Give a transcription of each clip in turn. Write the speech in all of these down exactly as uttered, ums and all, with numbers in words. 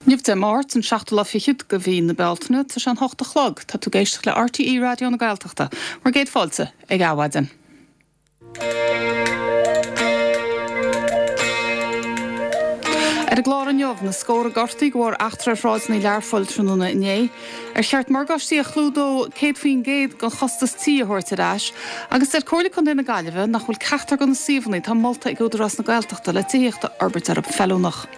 Inniu Dé Máirt an seachtú lá fichead de mhí na Bealtaine tá sé an hocht a chlog, tá tú ag éisteacht le RTÉ Raidió na Gaeltachta, bhur gcéad fáilte ag Adhmhaidin. Ar an gclár inniu na scórtha gortaithe de bharr eachtra ar shráideanna Learphoill tráthnóna inné, ar cheart morgáistí a chlúdódh céad faoin gcéad den chostas tí a thabhairt ar ais, agus deir Comhairle Contae na Gaillimhe nach bhfuil ceachtar de na suíomhanna atá molta ag Údarás na Gaeltachta le tithíocht a fhorbairt orthu feiliúnach.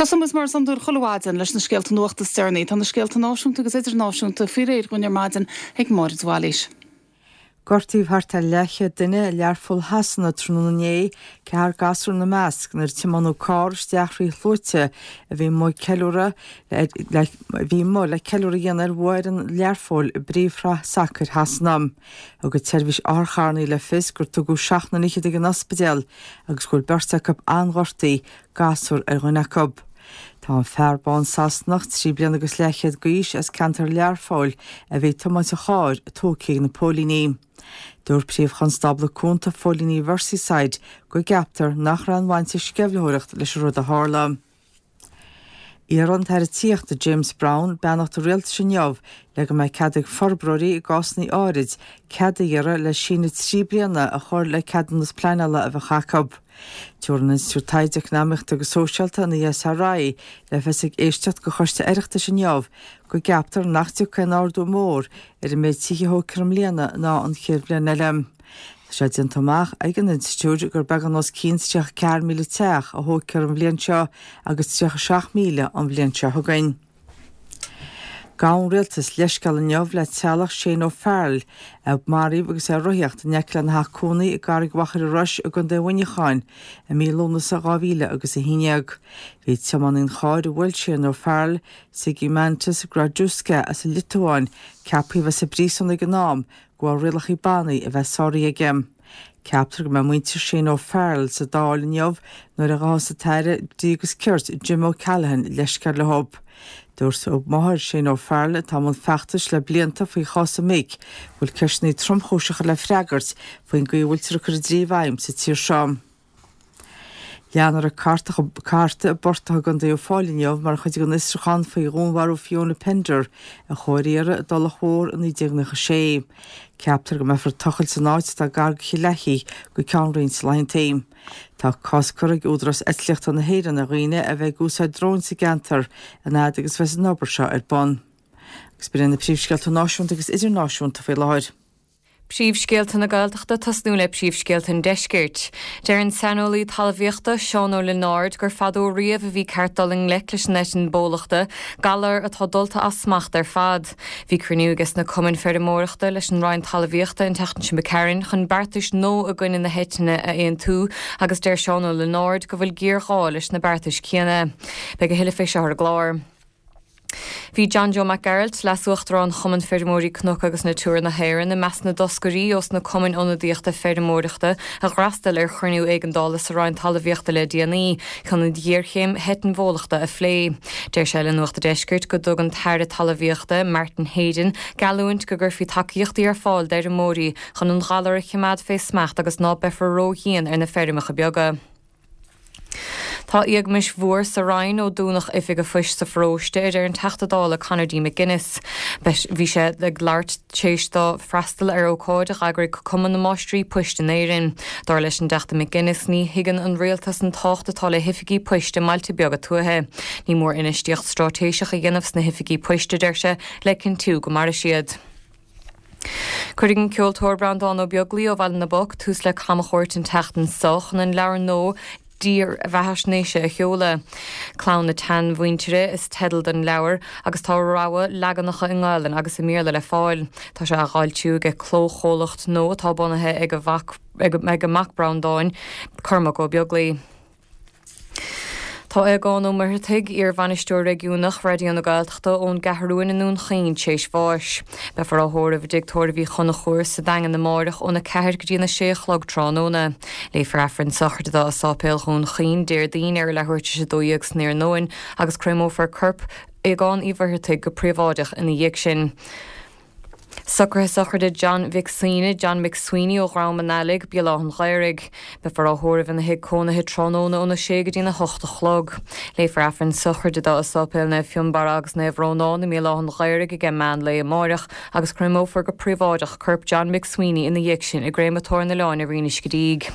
Tosóidh muid mar is iondúil chuile mhaidin leis na scéalta nuachta is deireanaí. Tá na scéalta náisiúnta agus idirnáisiúnta faoi réir dhúinn ar maidin ag Máire de Bhailís. Gortaíodh thart ar leathchéad duine i Learpholl Shasana tráthnóna inné, ceathrar gasúr ina measc, nuair a tiomáineadh carr isteach thrí shluaite a bhí amuigh ceiliúradh le a bhí amuigh le ceiliúradh a dhéanamh ar bhua fhoireann Learphoill i bPríomhshraith Sacair Shasana. Thug an tseirbhís otharcharranna le fios gur tugadh seacht nduine fhichead ag an ospidéal agus go bhfuil beirt acu an-ghortaithe, gasúr ar dhuine acu. Tá an fear bán Sasanach, trí bliana agus leathchéad d'aois, as ceantar Learphoill, a bhí ag tiomáint an chairr, tógtha ag na póilíní. Dúirt Príomh-Chonstábla Cúnta Phóilíní Mherseyside go gceaptar nach raibh aon bhaint ag sceimhlitheoireacht leis an rud a tharla. Iarrfaidh an tAire Tithíochta James Browne beannacht an Rialtais inniu le go mbeidh cead ag forbróirí i gcásanna áirid cead a iarraidh le síneadh trí bliana a chur le ceadúnas pleanála a bheadh acu. Tabharfaidh an Institiúid Taighde Eacnamaíochta agus Sóisialta, an ESRI, le fios ag éisteacht do Choiste Oireachtais inniu go gceaptar nach dtiocfaidh aon ardú mór ar an méid tithe a thógfar i mbliana ná an chéad bhliain eile. Tá sé déanta amach ag an institiúid gur beagán os cionn tríocha ceathair míle teach a thógfar an bhliain seo agus tríocha seacht míle an bhliain seo chugainn. Gabhann an Rialtas leithscéal inniu le teaghlach Shane O'Farrell, a maraíodh agus é ag rothaíocht in aice lena theach cónaí i gCarraig Mhachaire Rois i gContae Mhuineacháin i mí Lúnasa dhá mhíle agus a haon déag. Bhí tiománaí an chairr a bhuail Shane O'Farrell, Zygimantas Girdauskas as an Liotuáin, ceaptha a bheith sa bpríosún ag an am de bharr rialacha bannaí a bheith sáraithe aige. Ceaptar go mbeidh muintir Shane O'Farrell sa Dáil inniu nuair a ghabhfas an tAire Dlí agus Cirt Jim O'Callaghan leithscéal leo. Dúirt máthair Shane O'Farrell, atá i mbun feachtais le blianta faoi chás a mic, go bhfuil ceisteanna tromchúiseacha le freagairt faoin gcaoi a bhfuiltear ag cur an dlí i bhfeidhm sa tír seo. Leanfar ag cartadh i bportach i gContae Uíbh Fhailí inniu mar chuid den fhiosrúchán faoi dhúnmharú Fiona Pender a chuaigh ar iarraidh i dTulach Mhór i naoi déag nócha sé. Ceaptar go mbeifear ag tochailt san áit atá gar do Chill Achaidh go ceann roinnt laethanta. Tá cosc curtha ag Údarás Eitlíochta na hÉireann ar dhaoine a bheith ag úsáid dróin sa gceantar an fhad agus a bheas an obair seo ar bun. Agus b'in iad na príomhscéalta náisiúnta agus idirnáisiúnta faoi láthair. Príomhscéalta na Gaeltachta tosnú le príomhscéalta an Deiscirt. Deir an saineolaí talmhaíochta Seán Ó Lionáird gur fadó riamh a bhí ceart dul i ngleic leis an eitinn bólachta, galar atá dulta as smacht ar fad. Bhí cruinniú aige sna cumainn feirmeoireachta leis an Roinn Talmhaíochta an tseachtain seo imigh tharainn chun beartais nua i gcoinne na heitinne a aontú agus deir Seán Ó Lionáird go bhfuil géarghá leis na beartais céanna. Beidh a thuilleadh fé seo ar an gclár. Bhí John Joe Mac Gearailt, Leas-Uachtarán Chumann Feirmeoirí Cnoc agus Natura na hÉireann, i measc na dtoscairí ós na cumainn ionadaíochta feirmeoireachta a d'fhreastail ar chruinniú éigeandála sa Roinn Talmhaíochta le déanaí chun an ghéarchéim heitinn bhólachta a phlé. Deir sé le Nuacht an Deiscirt go dtug an tAire Talmhaíochta, Martin Heydon, geallúint go gcuirfí tacaíochtaí ar fáil d'fheirmeoirí chun an galar a chimeád fé smacht agus ná beifear ró-dhian ar na feirmeacha beaga. Tá éagmais mhór sa Roinn ó dúnadh oifig an phoist sa pharóiste, a deir an Teachta Dála Conor D. McGuinness. Bhí sé ag labhairt tar éis dó freastal ar ócáid a d'eagraigh Cumann na Máistrí Poist in Éirinn. Dar leis an dTeachta McGuinness, ní thuigeann an rialtas an tábhacht atá le hoifigí poist i mbailte beaga tuaithe. Ní mór infheistíocht straitéiseach a dhéanamh sna hoifigí poist, a deir sé, le cinntiú go mairfidh siad. Cuirfidh an ceoltóir Breandán Ó Beaglaoi ó Bhaile na bPoc tús le camchuairt an tseachtain seo chun an leabhar nua dírbheathaisnéise a sheoladh. Clann na tSeanmhuintire is teideal don leabhar agus tá rogha leaganacha i nGaelainn agus i mBéarla le fáil. Tá sé á fhoilsiú ag clóchomhlacht nua atá bunaithe ag a mhac ag a mac Breandán, Cormac Ó Beaglaoi. Tá Aogán Ó Muircheartaigh, iar-bhainisteoir réigiúnach Raidió na Gaeltachta ón gCeathrúin i nDún Chaoin tar éis bháis. Beifear á thórramh i dTigh Tórraimh Uí Chonchúir sa Daingean amáireach óna ceathair go dtí an a sé a chlog tráthnóna. Léifear Aifreann sochraide dó i Sáipéal Dhún Chaoin Déardaoin ar a leathuair tar éis a dó dhéag san iarnóin agus créamófar corp Aogáin Uí Mhuircheartaigh go príobháideach ina dhiaidh sin. Socruithe sochraide John Mhic Suibhne, John McSweeney ó Dhrom an Ailigh, Béal Átha an Ghaorthaidh. Beifear á thórramh ina thigh cónaithe tráthnóna óna sé go dtína hocht a chlog. Léifear Aifreann sochraide dó i Séipéal Naomh Fionnbarra agus Naomh Rónán i mBéal Átha an Ghaorthaidh ag meán lae amárach agus créamófar go príobháideach corp John McSweeney ina dhiaidh sin i gcréamatóir na Láine Rinn Uisce Díg.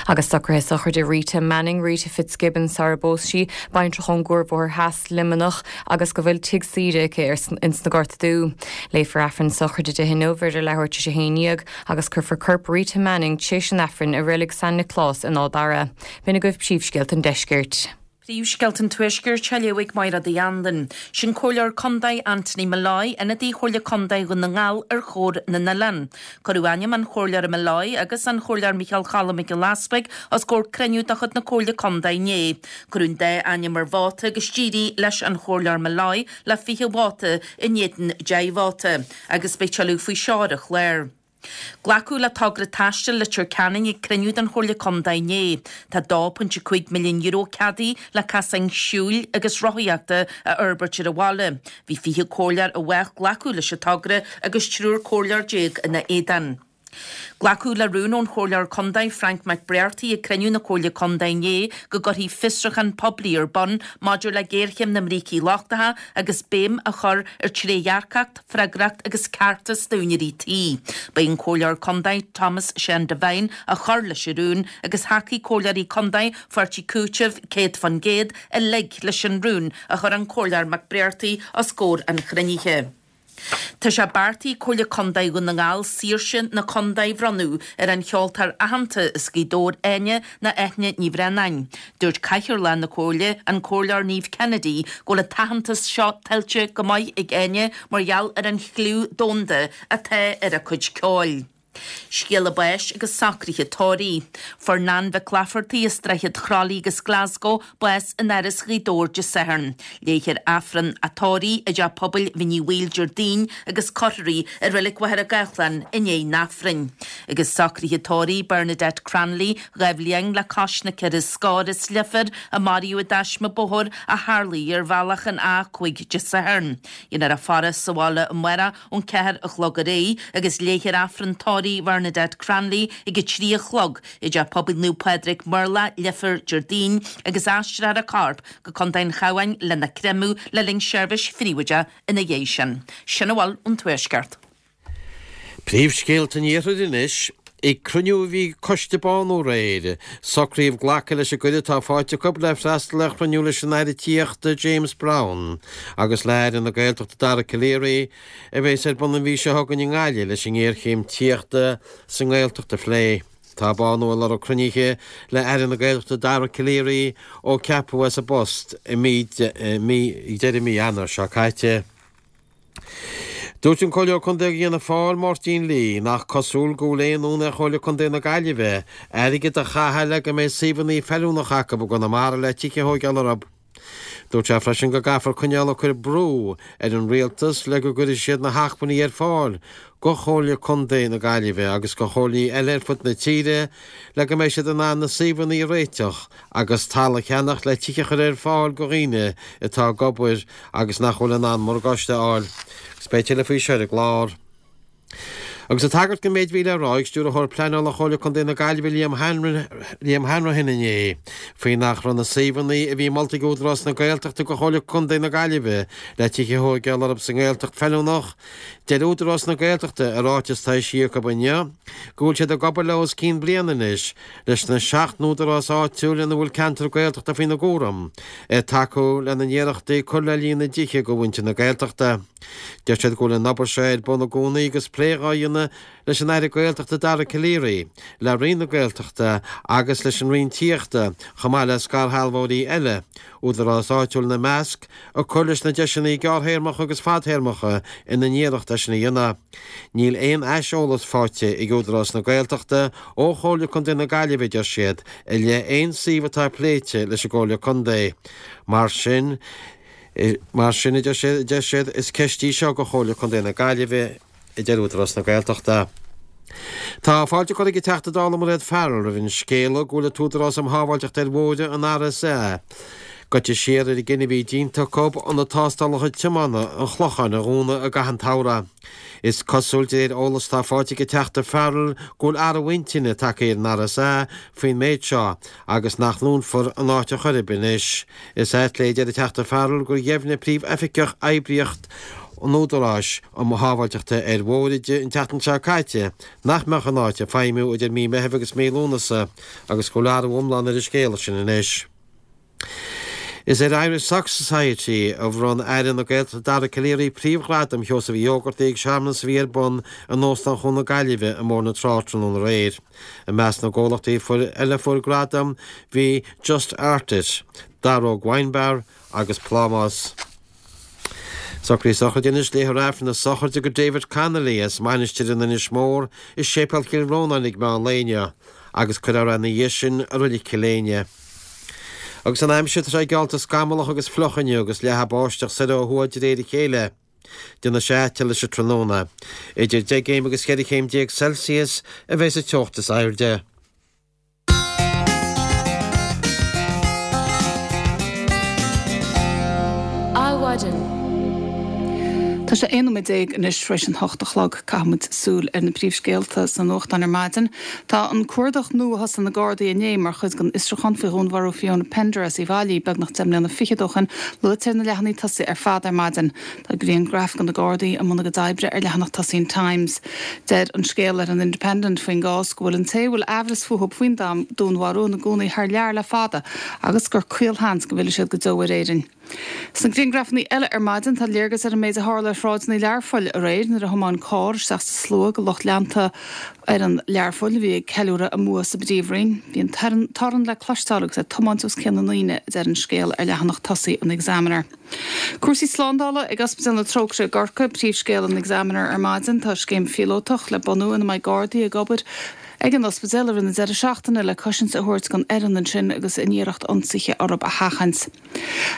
Agus socruithe sochraide Rita Manning, Rita Fitzgibbon sara bpós sí, baintreach ón gCuarbhóthar Theas Luimneach agus go bhfuil tigh saoire aici ins na Gorta Dubha. Léifear Aifreann sochraide di inniu idir leathuair tar éis a haon déag agus cuirfear corp Rita Manning tar éis an Aifrinn i reilig San Nioclás in Áth Dara. B'in agaibh príomhscéalta an deiscirt. Príomhscéalta an Tuaiscirt á léamh ag Máire Uí Anluain. Sin Comhairleoir Contae Anthony Molloy, ionadaí Chomhairle Contae Dhún na nGall ar Chomhar na nOileán. Cuireadh ainm an Chomhairleora Molloy agus an Chomhairleoir Micheál Choilm Mac Giolla Easbuig os comhair cruinniú de chuid na Comhairle Contae inné. Cuireadh an dá ainm ar vóta agus d'éirigh leis an Chomhairleoir Molloy le fiche vóta in éadan deich vóta, agus beidh tuilleadh faoi seo ar an chlár. Glacadh le togra taistil Leitir Ceanainn ag cruinniú den Chomhairle Contae inné. Tá dó pointe cúig milliún euro ceadaithe le casáin siúil agus rothaíochta a fhorbairt ar an bhaile. Bhí fiche comhairleoir i bhfách glacadh leis an togra agus triúr comhairleoir déag ina éadan. Glacadh le rún ón Chomhairleoir Contae Frank McBrearty ag cruinniú na Comhairle Contae inné go gcuirfí fiosrúchán poiblí ar bun maidir le géarchéim na mbrící lochtacha agus béim a chur ar trédhearcacht, freagracht agus ceartas d'úinéirí tí. Ba é an Comhairleoir Contae Thomas Sean Devine a chuir leis an rún agus thacaigh comhairleoirí contae Pháirtí Cúitimh céad faoin gcéad uilig leis an rún a chuir an Comhairleoir McBrearty os comhair an chruinnithe. Tá sé beartaithe ag Comhairle Contae Dhún na nGall saoirse na contae a bhronnadh ar an cheoltóir aitheanta as Gaoth Dobhair Áine nó Eithne Ní Bhraonáin. Dúirt Cathaoirleach na Comhairle, an Comhairleoir Niamh Kennedy, go bhfuil an t-aitheantas seo tuillte go maith ag Áine mar gheall ar an chliú domhanda atá ar a cuid ceoil. Scéala báis agus socruithe tórraimh. Fuair Nan Mhic Laifeartaigh as Droichead Chroithlí agus Glasgow bás in Áras Ghaoth Dobhair Dé Sathairn. Léifear Aifreann a tórraimh i dTeach Pobail Bhinn Uí Bhaoill Déardaoin agus cuirfear í i Reilig Mhachaire Gathlán i ndiaidh an Aifrinn. Agus socruithe tórraimh Bernadette Cranley, dhá bhliain le cois na ceithre scór as Leifear a maraíodh i dtaisme bóthair a tharlaigh ar bhealach an A cúig Dé Sathairn. Déanfar a faire sa bhaile amárach ón ceathair a chlog ar aghaidh agus léifear Aifreann tórraimh Bernadette Cranley ag a trí a chlog i dTeach Pobail Naomh Pádraig Murlach Leifear Déardaoin agus aistreofar a corp go Contae an Chabháin lena créamadh le linn seirbhís phríobháideach ina dhiaidh sin. Sin a bhfuil ón Tuaisceart. Príomhscéalta an Iarthair anois. Ag cruinniú a bhí ag Coiste Bánú aréir, socraíodh glacadh leis an gcuireadh atá faighte acu le freastal ar chruinniú leis an Aire Tithíochta James Browne agus le hAire na Gaeltachta Dara Calleary a bheas ar bun an mhí seo chugainn i nGaillimh leis an ngéarchéim tithíochta sa nGaeltacht a phlé. Tá Bánú ag lorg cruinnithe le Aire na Gaeltachta Dara Calleary ó ceapadh é sa bpost i mí deireadh mí Eanáir seo caite. Dúirt an Comhairleoir Contae d'Fhianna Fáil, Máirtín Lee, nach cosúil go bhfuil aon fhonn ar Chomhairle Contae na Gaillimhe airgead a chaitheamh le go mbeidh suíomhanna feiliúnacha acu i gConamara le tithe a thóigeáil orthu. Dúirt sé freisin go gcaithfear coinneáil ag cur brú ar an rialtas le go gcuirfidh siad na hacmhainní ar fáil go Chomhairle Contae na Gaillimhe agus go chomhairlí eile ar fud na tíre le go mbeidh siad in ann na suíomhanna a réiteach agus talamh a cheannach le tithe a chur ar fáil go dhaoine atá ag obair agus nach bhfuil in ann morgáiste a fháil. Agus beidh tuilleadh faoi seo ar an gclár. Agus ag tagairt don méid a bhí le rá ag Stiúrthóir Pleanála Chomhairle Contae na Gaillimhe Liam Liam Hanrahan inné faoi nach raibh na suíomhanna a bhí molta ag Údarás na Gaeltachta go Chomhairle Contae na Gaillimhe le tithe a thóigeáil orthu sa nGaeltacht feiliúnach, deir Údarás na Gaeltachta i ráiteas atá eisithe acu inniu go bhfuil siad ag obair le os cionn bliana anois leis na seacht n-údarás áitiúil ina bhfuil ceantar Gaeltachta faoina gcúram, ag tacú lena n-iarrachtaí cur le líon na dtithe go mhuintir na Gaeltachta. Deir siad go bhfuil an obair seo ar bun i gcónaí agus plé á dhéanamh leis an Aire Gaeltachta Dara Calleary, le Roinn na Gaeltachta agus leis an Roinn Tithíochta, chomh maith le scairshealbhóirí eile, údarás áitiúil ina measc, ag cur leis na deiseanna gearrthéarmacha agus fadthéarmacha ina n-iarracht é sin a dhéanamh. Níl aon aiseolas faighte ag Údarás na Gaeltachta ó Chomhairle Contae na Gaillimhe, deir siad, i leith aon suíomh atá pléite leis an gComhairle Contae. Mar sin, Mar sin, a deir siad, is ceist í seo go Chomhairle Contae na Gaillimhe, a deir Údarás na Gaeltachta. Tá fáilte curtha ag an Teachta Dála Mairéad Farrell roimh an scéala go bhfuil an tÚdarás um Shábháilteacht ar Bhóithre, an RSA, Goite siar ar an gcinneadh a bhí déanta acu ionad tástálacha tiomána an Chlocháin a dhúnadh i gcaitheamh an tsamhraidh. Is cosúil de réir eolas atá faighte ag an Teachta Farrell go bhfuil athrú intinne tagtha ar an R S A faoin méid seo agus nach ndúnfar an áit ar chor ar bith anois. Is ait léi, a deir an Teachta Farrell, gur dheimhnigh Príomhoifigeach Oibríochtaí an Údaráis um Shábháilteacht ar Bhóithre di an tseachtain seo caite nach mbeadh an áit ag feidhmiú idir mí Meithimh agus mí Lúnasa agus go bhfuil athrú iomlán ar an scéal sin anois. Is ar Irish Soccer Society a bhronn Aire na Gaeltachta Dara Calleary príomhghradam Sheosaimh Uí Ógartaigh ag searmanas a bhí ar bun in Óstán Chuan na Gaillimhe i mBóthar na Trá tráthnóna aréir. I measc na gcomhlachtaí eile a fuair gradam bhí Just Art It, Daróg Wine Bar agus Plámás. Socruithe sochraide anois. Léifear Aifreann na sochraide do David Connolly as Mainistir in Inis Mór i Séipéal Chill Rónáin ag meán lae inniu agus cuirfear é ina dhiaidh sin i Reilig Chill Éinne. Agus an aimsir, tá sé geallta scamallach agus fliuch inniu agus leathadh báisteach soir ó thuaidh de réir a chéile. Déanfaidh sé te leis an tráthnóna. Idir deich gcéim agus ceithre chéim déag Celsius a bheidh sa teocht is airde. Adhmhaidin. Tá sé aon nóiméad déag anois tar éis an hocht a chlog. Caithfimid súil ar na príomhscéalta sna nuachtáin ar maidin. Tá an cuardach nua a thosaigh na Gardaí inné mar chuid den fhiosrúchán faoi dhúnmharú Fiona Pender as Uíbh Fhailí beagnach deich mbliana fichead ó shin luaite ar na leathanaigh tosaigh ar fad ar maidin. Tá grianghraf de na Gardaí i mbun a gcuid oibre ar leathanach tosaigh an Times. Deir an scéal ar an Independent faoin gcás go bhfuil an té a bhfuil aimhreas fúthu faoin dúnmharú ina gcónaí thar lear le fada agus gur caolsheans go bhfillfidh siad go deo ar Éirinn. Sna grianghrafanna eile ar maidin tá léargas ar an méid a tharla ar shráideanna Learphoill aréir nuair a thiomáin carr isteach sa slua de lucht leanta fhoireann Learphoill a bhí ag ceiliúradh a mbua sa bPríomhroinn. Bhí an torann le cloisteáil agus é ag tiomáint os cionn na ndaoine, a deir an scéal ar leathanach tosaigh an Examiner. Cúrsaí slándála ag Ospidéal na Trócaire i gCorcaigh, príomhscéal an Examiner ar maidin. Tá scéim phíolótach le bunú ina mbeidh Gardaí ag obair ag an ospidéal i rith na deireadh seachtaine le cosaint a thabhairt don fhoireann ansin agus an iarracht ionsaithe orthu a sheachaint.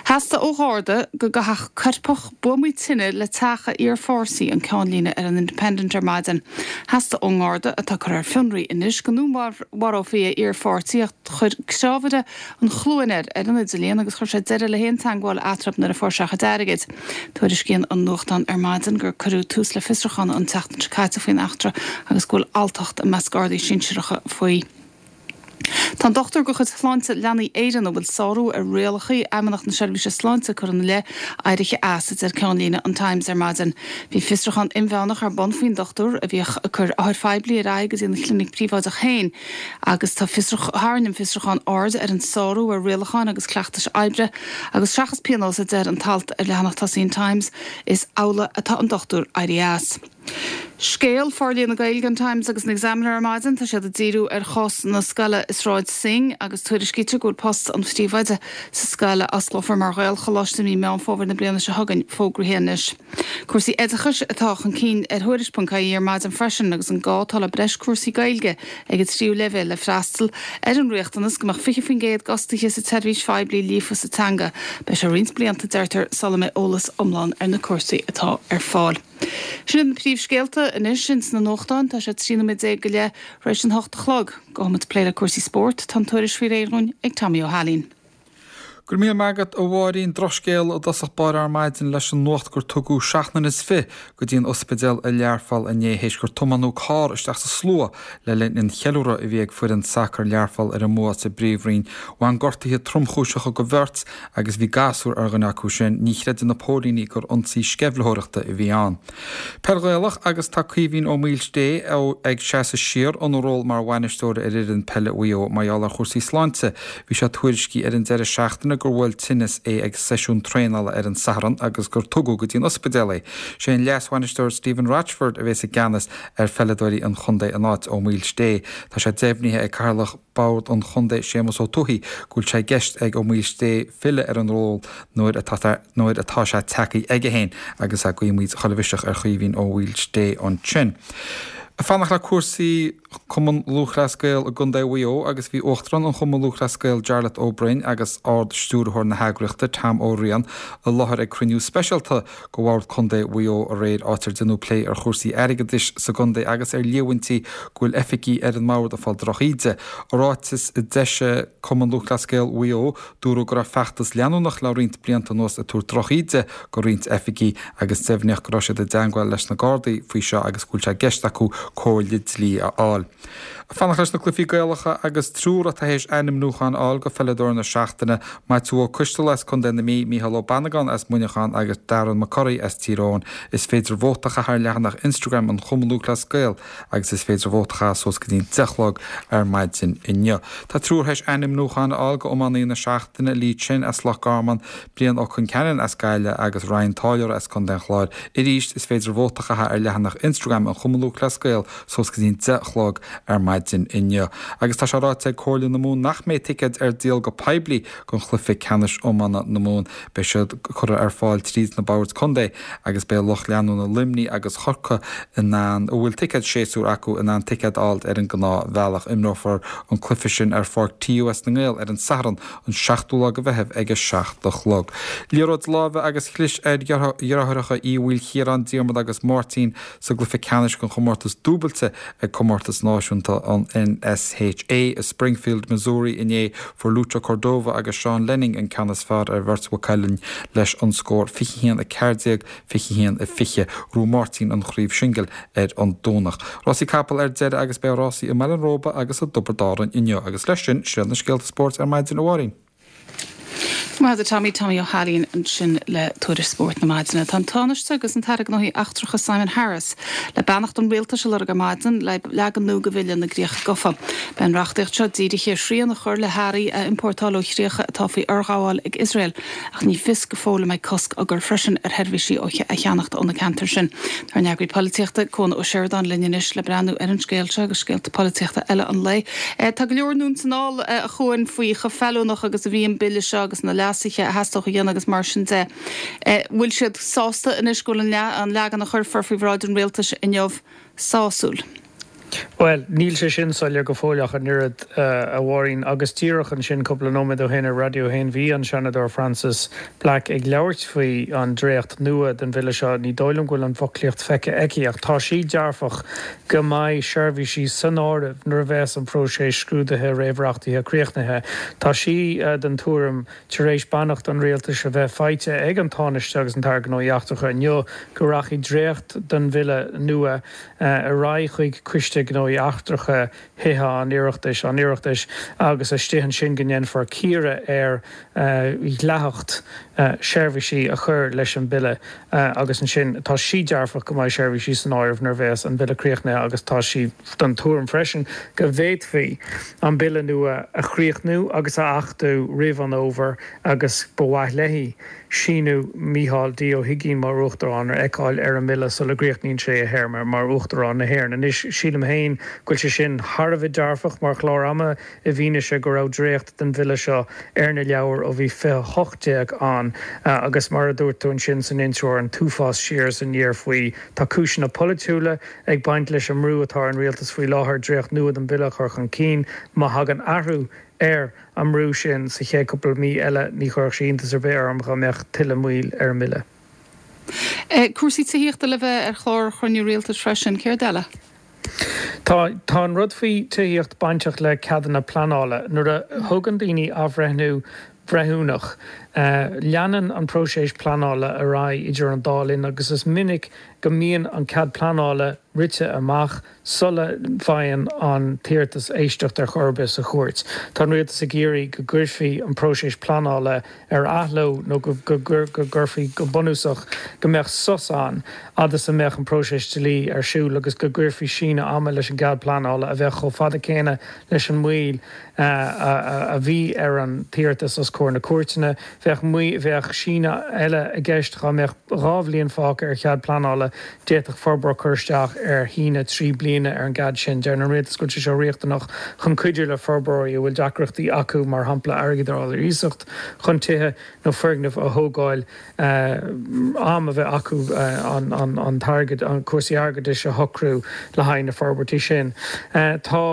Theastaigh ó Gharda go gcaithfeadh coirpeach buamaí tine le teach a iarpháirtí, an ceannlíne ar an Independent ar maidin. Theastaigh ón nGarda, atá curtha ar fionraí anois, go ndúnmharófaí a iarpháirtí ach chuir crábhaire an chluain air ar an idirlíon agus chuir sé deireadh le haon teagmháil eatarthu nuair a fuair sé a chuid airgid. Tuairiscíonn an nuachtán ar maidin gur cuireadh tús le fiosrúchán an tseachtain seo caite faoin eachtra agus go bhfuil alltacht i measc Gardaí sinsearacha faoi. Tá an dochtúir de chuid Shláinte Leanaí Éireann a bhfuil sárú ar rialacha Fheidhmeannacht na Seirbhíse Sláinte curtha ina leith éirithe as, a deir ceannlíne an Times ar maidin. Bhí fiosrúchán inmheánach ar bun faoin dochtúir a bhíodh ag cur othair phoiblí ar aghaidh go dtí an chlinic phríobháideach féin agus tá tharraing an fiosrúchán aird ar an sárú ar rialacháin agus cleachtais oibre agus seachas pionós, a deir an t-alt ar leathanach tosaigh an Times, is amhlaidh atá an dochtúir éirithe as. Scéal Forlíonadh na Gaeilge an Times agus an Examiner ar maidin. Tá siad ag díriú ar chás na scoile i Sráid Synge agus tuairiscítear go bhfuil post an phríomhoide sa scoil a osclófar mar Ghaelcholáiste i mí Meán Fómhair na bliana seo chugainn fógraithe anois. Cúrsaí oideachais atá chun cinn ar Thuairisc ponc I E ar maidin freisin agus an gá atá le breis cúrsaí Gaeilge ag an tríú leibhéal le freastal ar an riachtanas go mbeadh fiche faoin gcéad d'fhostaithe sa tseirbhís phoiblí líofa sa teanga. Beidh sé roinnt blianta, deirtear, sula mbeidh eolas iomlán ar na cúrsaí atá ar fáil. Sin na príomhscéalta anois ins na nuachtáin. Tá sé trí nóiméad déag go leith tar éis an hocht a chlog. Gabhfaimid plé le cúrsaí spóirt. Tá an tuairisc faoi réir dhúinn ag Tommy Ó hAilín. Go raibh míle maith agat, a Mháirín. Drochscéal i dtosach báire ar maidin leis an nuacht gur tugadh seacht nduine is fiche go dtí an ospidéal i Learpholl inné théis gur tiomáineadh carr isteach sa slua le linn an cheiliúradh a bhí ag foireann sacair Learpholl ar a mbua sa bPríomhroinn. Bhain gortuithe tromchúiseacha do bheirt agus bhí gasúr ar dhuine acu sin. Ní chreideann na póilíní gur ionsaí sceimhlitheoireachta a bhí ann. Peil Ghaelach agus tá Caoimhín Ó Maoilsté ag seasamh siar óna ról mar bhainisteoir ar fhoireann peile Mhaigh Eo mar gheall ar chúrsaí sláinte. Bhí sé tuairiscithe ar an deireadh seachtaine gur bhuail tinneas é ag seisiún traenála ar an Satharn agus gur tugadh go dtí an ospidéal é. Sé an leasbhainisteoir Stephen Rochford a bheas i gceannas ar pheileadóirí an chontae in áit Ó Maoilsté. Tá sé deimhnithe ag Cathaoirleach Bhord an Chontae Séamus Ó Tuathaigh go bhfuil sé i gceist ag Ó Maoilsté filleadh ar an ról nuair atá nuair atá sé tagtha aige féin agus guímid chuile mhiseach ar Chaoimhín Ó Maoilsté ansin. Fanacht le cúrsaí Cumann Lúthchleas Gael i gContae Mhaigh Eo agus bhí Uachtarán an Chumainn Lúthchleas Gael Jarlath Ó Broin agus Ard-Stiúrthóir na heagraíochta Tom Ó Riain i láthair ag cruinniú speisialta de Bhord Contae Mhaigh Eo aréir áit ar deineadh plé ar chúrsaí airgeadais sa gcontae agus ar líomhaintí go bhfuil oifigigh ar an mbord ag fáil drochíde. I ráiteas a d'eisigh Cumann Lúthchleas Gael Mhaigh Eo dúradh go raibh feachtas leanúnach le roinnt blianta anuas ag tabhairt drochíde do roinnt oifigigh agus deimhníodh go raibh siad i dteangmháil leis na Gardaí faoi seo agus go bhfuil sé i gceist acu comhairle dlí a fháil. Fanacht leis na cluichí Gaelacha agus triúr atá théis ainmniúchán a fháil go pheileadóir na seachtaine, Maitiú Ó Coistealbha as Contae na Mí, Mícheál Ó Bannagáin as Muineachán agus Darren McCurry as Tír Eoghain. Is féidir vóta a chaitheamh ar leathanach Instagram an Chumainn Lúthchleas Gael agus is féidir vóta a chaitheamh suas go dtí an deich a chlog ar maidin inniu. Tá triúr théis ainmniúchán a fháil go iománaí na seachtaine, Lee Chin as Loch Garman, Brian Ó Conceanainn as Gaillimh agus Ryan Táilliúra as Contae an Chláir. Arís, is féidir vóta a chaitheamh ar leathanach Instagram an Chumainn Lúthchleas Gael suas go dtí an deich a chlog ar maidin inniu. Agus tá sé ráite ag Comhairle na Mumhan nach mbeidh ticéid ar díol go poiblí don chluiche ceannais iomána na Mumhan. Beidh siad curtha ar fáil tríd na boird contae agus beidh lucht leanúna Luimnigh agus Chorcaí in ann, a bhfuil ticéad séasúir acu, in ann ticéad a fháil ar an ngnáthbhealach. Imreofar an cluiche sin ar pháirc TUS na nGael ar an Satharn an seachtú lá de Mheitheamh ag a seacht a chlog. Liathróid láimhe agus chlis ar dheartháireacha Uí Mhaoilchiaráin, Diarmuid agus Máirtín sa gcluiche ceannais den chomórtas dúbailte ag Comórtas Náisiúnta an NSHA i Springfield, Missouri inné. Fuair Lucho Cordova agus Seán Lenning an ceann is fearr ar bheirt Mhaigh Cuilinn leis an scór fiche a haon a ceathair déag, fiche a haon a fiche. Ghnóthaigh Máirtín an chraobh singil ar an Domhnach. Rásaí capall ar deireadh agus beidh rásaí i mBaile an Róba agus i dTiobraid Árann inniu agus leis sin, sin iad na scéalta spóirt ar maidin, a Mháirín. Maith agat Tommy, Tommy Ó hAilín ansin le tuairisc spóirt na maidine. Tá an Tánaiste agus an tAire Gnóthaí Eachtracha Simon Harris le beannacht an rialtais a lorg ar maidin le leagan nua de Bhille na gCríoch Gafa. Beidh an reachtaíocht seo dírithe ar shrian a chur le hearraí a iompórtáil ó chríocha atá faoi fhorghabháil ag Iosrael ach ní fios go fóill an mbeidh cosc á gcur freisin ar sheirbhísí a cheannacht ó na ceantair sin. Tá ár n-eagraí polaitíochta, Cuan Ó Seireadáin linn anois le breathnú ar an scéal seo agus scéalta polaitíochta eile an lae. Tá go leor anonn 's anall a Chuain faoi chomh feiliúnach agus a bhí an bille seo agus na leasuithe a theastódh a dhéanamh agus mar sin de. Bhfuil siad sásta anois go bhfuil an leagan a chuirfear faoi bhráid an rialtais inniu sásúil? Bhuel, níl sé sin soiléir go fóill ach an oiread, a Mháirín. Agus díreach ansin, cúpla nóiméad ó shin ar Raidió a haon, bhí an Seanadóir Frances Black ag labhairt faoi an dréacht nua den bhille seo. Ní dóigh liom go bhfuil an fhoclaíocht feicthe aici, ach tá sí dearfach go mbeidh seirbhísí san áireamh nuair a bheas an próiseas scrúdaithe réamhreachtaithe críochnaithe. Tá sí den tuairim, tar éis beannacht an rialtais a bheith faighte ag an Tánaiste agus an tAire Gnóthaí Eachtracha inniu, go rachaidh dréacht den bhille nua ar aghaidh chuig Coiste Gnóthaí Eachtracha Thithe an Oireachtais, an Oireachtais, agus istigh ansin go ndéanfar cíoradh ar dhleathacht seirbhísí a chur leis an bhille agus ansin tá sí dearfach go mbeidh seirbhísí san áireamh nuair a bheas an bille críochnaithe agus tá sí den tuairim freisin go bhféadfaí an bille nua a chríochnú agus a achtú roimh an fhómhar agus ba mhaith léi síniú Mícheál D. Ó hUigínn mar Uachtarán a fheiceáil ar an mbille sula gcríochnaíonn sé a théarma mar Uachtarán na hÉireann. Anois, sílim féin go bhfuil sé sin thar a bheith dearfach mar chlár ama i bhfianaise go raibh dréacht den bhille seo ar na leabhair ó bhí fiche a hocht déag ann agus mar a dúirt tú ansin san intro an t-uafás siar is aniar faoi. Tá cúiseanna polaitiúla ag baint leis an mbrú atá ar an rialtas faoi láthair dréacht nua den bhille a chur chun cinn. Má thagann athrú ar an mbrú sin sa chéad cúpla mí eile, ní chuirfeadh sé iontas ar bith orm dá mbeadh tuilleadh moill ar an mbille. Cúrsaí tithíochta le bheith ar chlár chruinniú rialtais freisin, céard eile? Tá. Tá an rud faoi tithíocht bainteach le ceadanna pleanála. Nuair a thugann daoine athbhreithniú breithiúnach, leanann an próiseas pleanála ar aghaidh idir an dá linn agus is minic go mbíonn an cead pleanála rite amach sula bhfaigheann an t-iarratas éisteacht ar chor ar bith sa chúirt. Tá an rialtas ag iarraidh go gcuirfí an próiseas pleanála ar athló nó go gcuirfí go bunúsach go mbeadh sos ann fhad is a mbeadh an próiseas dlí ar siúl agus go gcuirfí síneadh ama leis an gcead pleanála a bheadh chomh fada céanna leis an moill a bhí ar an t-iarratas os comhair na cúirteanna. Bheadh bheadh síneadh eile i gceist dá mbeadh dhá bhliain fágtha ar chead pleanála, d'fhéadfadh forbróir cur isteach ar shíneadh trí bliana ar an gcead sin. Deir an rialtas go bhfuil sé seo riachtanach chun cuidiú le forbróirí a bhfuil deacrachtaí acu, mar shampla airgead a fháil ar iasacht chun tithe nó foirgnimh a thógáil, am a bheith acu an t-airgead, cúrsaí airgeadais a shocrú le haghaidh na forbairtí sin. Tá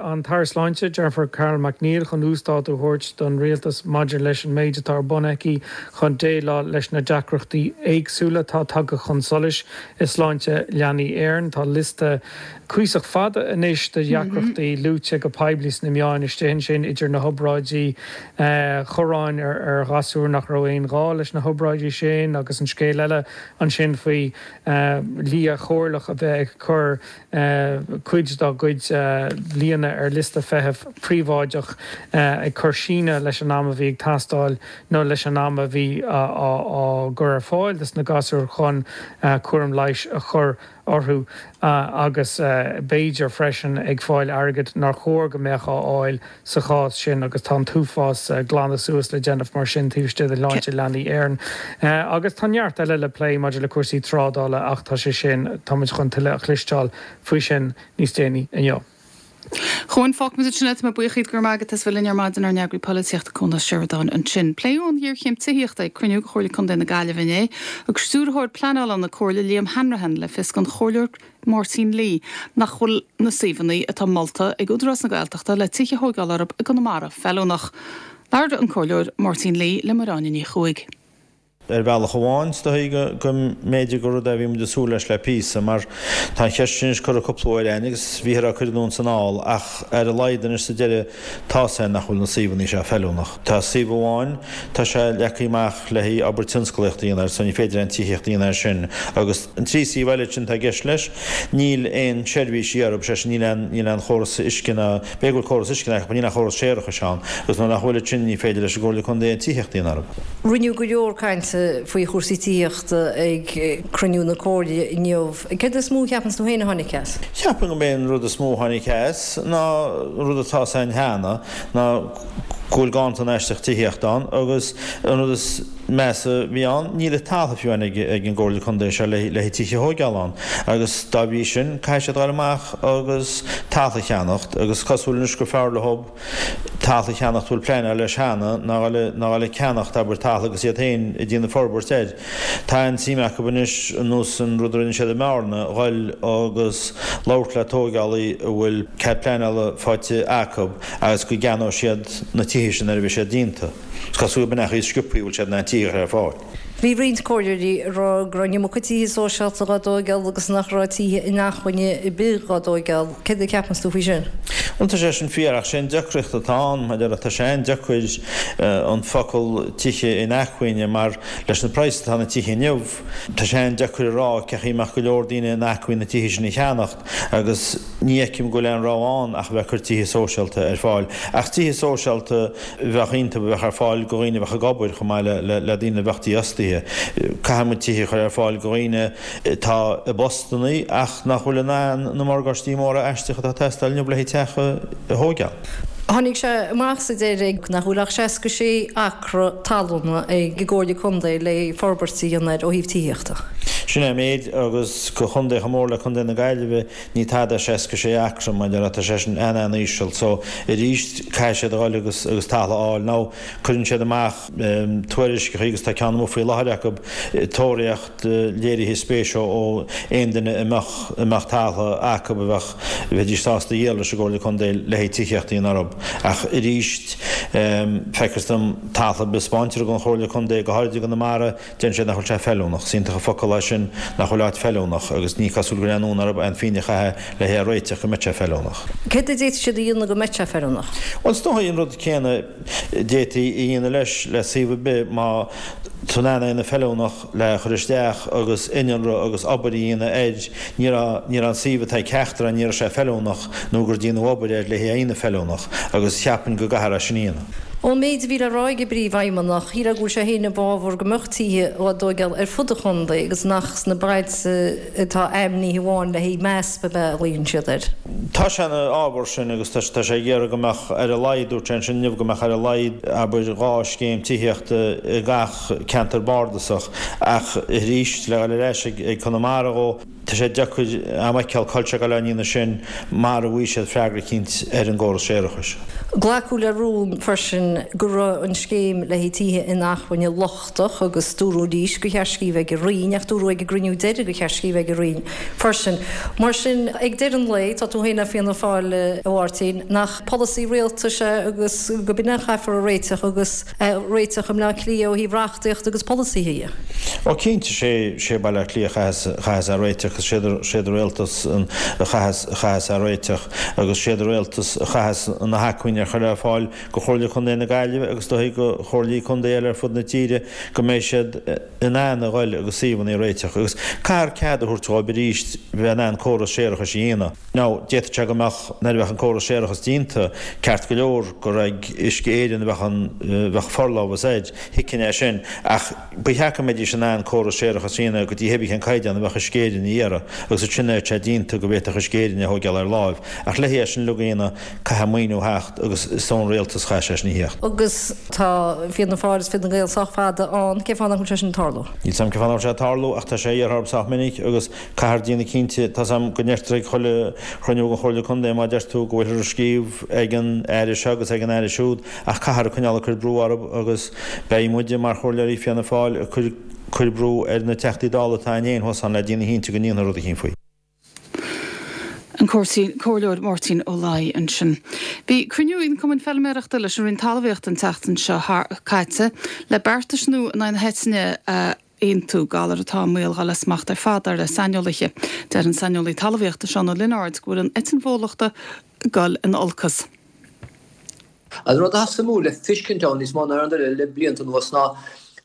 an tAire Sláinte, Jennifer Carroll MacNeill, chun uasdátú a thabhairt don Rialtas maidir leis an méid atá ar bun aici chun déileáil leis na deacrachtaí éagsúla atá tagtha chun solais i Sláinte Leanaí Éireann. Tá liosta cuíosach fada anois de dheacrachtaí luaite go poiblí sna meáin istigh ansin, idir na hobráidí corráin ar ghasúir nach raibh aon ghá leis na hobráidí sin agus an scéal eile ansin faoi lia chomhairleach a bheith ag cur cuid dá gcuid lianna ar liosta feithimh príobháideach ag cur síneadh leis an am a bhí ag teastáil nó leis an am a bhí á gcur ar fáil dos na gasúir chun cúram leighis a chur orthu agus b'fhéidir freisin ag fáil airgead nár chóir go mbeadh á fháil sa chás sin agus tá an t-uafás glanadh suas le déanamh mar sin taobh istigh de Shláinte Leanaí Éireann. Agus tá neart eile le plé maidir le cúrsaí trádála ach tá sé sin, táimid chun tuilleadh a chloisteáil faoi sin níos déanaí inniu. Chuan, fágfaimid ansin é, tá mé buíoch díot, go raibh maith agat as bheith linn ar maidin, ár n-eagraí polaitíochta Cuan Ó Seireadáin ansin. Pléadh an ghéarchéim tithíochta ag cruinniú de Chomhairle Contae na Gaillimhe inné. Thug Stiúrthóir Pleanála na Comhairle Liam Hanrahan le fios don Chomhairleoir Máirtín Lee nach bhfuil na suíomhanna atá molta ag Údarás na Gaeltachta le tithe a thóigeáil orthu i gConamara feiliúnach. Labhair an Comhairleoir Máirtín Lee le Máire Áine Ní Chuaig. Ar bhealach amháin, is dóigh go mb'fhéidir gur rud é a bhí muid ag súil leis le píosa, mar tá an cheist sin anois curtha cúpla uair againn agus bhíothar á cur anonn is anall, ach ar a laghad anois sa deireadh tá's againn nach bhfuil na suíomhanna seo feiliúnach. Tá suíomh amháin, tá sé leagtha amach le haghaidh obair tionsclaíochta a dhéanamh air, so ní féidir aon tithíocht a dhéanamh air sin. Agus an trí suíomh eile sin atá i gceist leis, níl aon seirbhísí orthu, sé sin níl aon, níl aon chóras uisce ná, b'fhéidir go bhfuil córas uisce ach níl aon chóras séarachais ann, agus nuair nach bhfuil sin ní féidir leis an gComhairle Contae aon tithíocht a dhéanamh orthu. Rinneadh go leor cainte faoi chúrsaí tithíochta ag cruinniú na Comhairle inniu. Céard is mó a cheapann tú féin a tháinig as? Cheapfainn gurb é an rud is mó a tháinig as ná an rud atá 's againn cheana, ná go bhfuil ganntan aisteach tithíochta ann agus an rud is measa a bhí ann, níl an talamh fiú amháin ag an gComhairle Contae seo le haghaidh tithe a thóigeáil ann agus dá bhrí sin caithfidh siad dul amach agus talamh a cheannacht agus cosúil anois gur fearr leo talamh a cheannacht a bhfuil pleanáil leis cheana ná ná dhul ag ceannacht abair talamh agus iad féin ag déanamh forbairt air. Tá an-suim acu anois ar nós an rud a rinne siad i mBearna, dhul agus labhairt le tóigeálaí a bhfuil cead pleanála faighte acu agus go gceannóidh siad na tithe sin nuair a bheidh siad déanta. Is cosúil gurb in é an chaoi is sciobthaí a bhfuil siad in ann tithe a chur ar fáil. Bhí roinnt comhairleoirí ag rá go raibh an iomarca tithe sóisialta dhá dtóigeáil agus nach raibh tithe inacmhainne ar bith dhá dtóigeáil. Céard a cheapanns tú faoi sin? Bhuel, tá sé sin fíor ach sé an deacracht atá ann, mar a déarfá, tá sé an-deacair an focal tithe inacmhainne mar leis na praghas atá na tithe inniu, tá sé an-deacair a rá cén chaoi a mbeadh go leor daoine in acmhainn na tithe sin a cheannacht agus ní fheicim go bhfuil aon rogha ann ach a bheith ag cur tithe sóisialta ar fáil. Ach tithe sóisialta a bheadh iontu a bheadh ar fáil go dhaoine a bheadh ag obair chomh maith le daoine a bheadh dífhostaithe. Caithfidh muid tithe a chur ar fáil go dhaoine atá i bpostannaí ach nach bhfuil in ann na morgáistí móra aisteacha atá ag teastáil inniu le haghaidh teach a thóigeáil. Tháinig sé amach sa deireadh nach bhfuil ach seasca sé acra talún ag an gComhairle Contae le forbairt a dhéanamh air ó thaobh tithíochta. Sin é an méid agus go chontae chomh mór le Contae na Gaillimhe ní tada seasca sé acra mar a déarfá, tá sé sin an-an-íseal so arís caithfidh siad a dhul agus agus talamh a fháil. Now cuireann siad amach tuairisceacha agus tá ceann amuigh faoi láthair acu tóraíocht léirithe spéise ó aon duine a mbeadh a mbeadh talamh acu a bheadh bheidís sásta a dhíol leis an gComhairle Contae le haghaidh tithíocht a dhéanamh orthu. Ach arís feictear dom talamh ar bith a spáintear don Chomhairle Contae go háirid i gConamara Deireann siad nach bhfuil sé feiliúnach. Is iontach an focal é sin, nach bhfuil áit feiliúnach, agus ní cosúil go bhfuil aon fhonn orthu aon phingin a chaitheamh le hé a réiteach go mbeadh sé feiliúnach. Céard a d'fhéadfadh siad a dhéanamh go mbeadh sé feiliúnach? Bhuel, is dóigh an rud céanna a d'fhéadfaí a dhéanamh leis, le suíomh ar bith, má tá tú in ann é a dhéanamh feiliúnach le chur isteach agus innealra agus obair a dhéanamh air, ní raibh, ní raibh an suíomh atá ag ceachtar ann, ní raibh sé feiliúnach nó gur déanadh obair air le hé a dhéanamh feiliúnach agus cheapfainn go gcaithfear é sin a dhéanamh. Ón méid a bhí le rá ag an bPríomhfheidhmeannach, shílfeá go bhfuil sé féin i bhfabhar go mbeadh tithe á dtóigeáil ar fud an chontae agus nach sna bailte atá ainmnithe amháin le haghaidh M A S P ab ea a ghlaonn siad air. Tá sé ina fhábhar sin agus tá sé ag iarraidh go mbeadh ar a laghad, dúirt sé ansin inniu, go mbeadh ar a laghad, abair, dhá scéim tithíochta i gach ceantar bardasach ach arís, le dhul ar ais ag Conamara dhó, Tá sé deacair a'm a fheiceáil cá bhfuil sé ag dul á ndéanamh sin mara bhfaighidh siad freagra eicínt ar an gcóras séarachais. Glacadh le rún freisin go raibh an scéim le haghaidh tithe inacmhainne lochtach agus dúradh arís gur cheart scríobh ag an Roinn ach dúradh ag an gcruinniú deiridh gur cheart scríobh ag an Roinn freisin. Mar sin, ag deireadh an lae, tá tú féin le Fianna Fáil, a Mháirtín, nach polasaí rialtais é agus go b'in é a chaithfear a réiteach agus a réiteach i mBleá Cliath ó thaobh reachtaíochta agus polasaithe dhe. Ó cinnte, sé sé Baile Átha Cliath a chaitheas é a réiteach agus sé sé do rialtas a chaitheas a chaitheas é a réiteach agus sé do rialtas a chaitheas na hacmhainní a chur ar fáil go Chomhairle Contae na Gaillimhe agus do go Chomhairlí Contae eile ar fud na tíre go mbeidh siad in ann a ghoil agus suíomhanna a réiteach agus caithfear cead a thabhairt dhóibh arís bheith in ann córas séarachais a dhéanamh. Now, d'fhéadfadh sé go mbeadh, nuair a bheadh an córas séarachais déanta, ceart go leor gur ag Uisce Éireann a bheadh an, bheadh forlámhas air, thuigfinn é sin, ach ba cheart go mbeidís in ann córas séarachais a dhéanamh go dtí hébí cén caighdeán a bheadh Uisce Éireann a iarraidh agus ansin nuair atá sé déanta go bhféadfadh Uisce Éireann é a thóigeáil ar láimh. Ach le é sin uilig a dhéanamh, caithfidh maoiniú theacht agus is ón rialtas a chaithfidh sé sin a theacht. Agus tá Fianna Fáil is Fine Gael sách fada ann, cén fáth nach bhfuil sé sin ag tarlú? Níl 's a'm cén fáth nach bhfuil sé ag tarlú ach tá sé iarrtha orthu sách minic agus caithfear déanamh cinnte, tá 's a'm go ndeirtear ag chuile chruinniú den Chomhairle Contae má deir tú go bhfuilthear ag scríobh ag an Aire seo agus ag an Aire siúd ach caithfear coinneáil ag cur brú orthu agus beidh muide mar chomhairleoirí Fianna Fáil ag cur cur brú ar na Teachtaí Dála atá againn féin thuas ann le déanamh cinnte go ndéanfar rud eicínt faoi. An Comhairleoir Máirtín Ó Laoi ansin. Bhí cruinniú ag na Cumainn Feilméarachta leis an Roinn Talmhaíochta an tseachtain seo caite le beartais nua in aghaidh na heitinne a aontú, galar atá i mbaol dhul as smacht ar fad, dar le saineolaithe. Deir an saineolaí talmhaíochta Seán Ó Lionáird go bhfuil an eitinn bhólachta ag dul in olcas. An rud atá suimiúil le feiscint ann níos mó ná aon rud eile le blianta anuas ná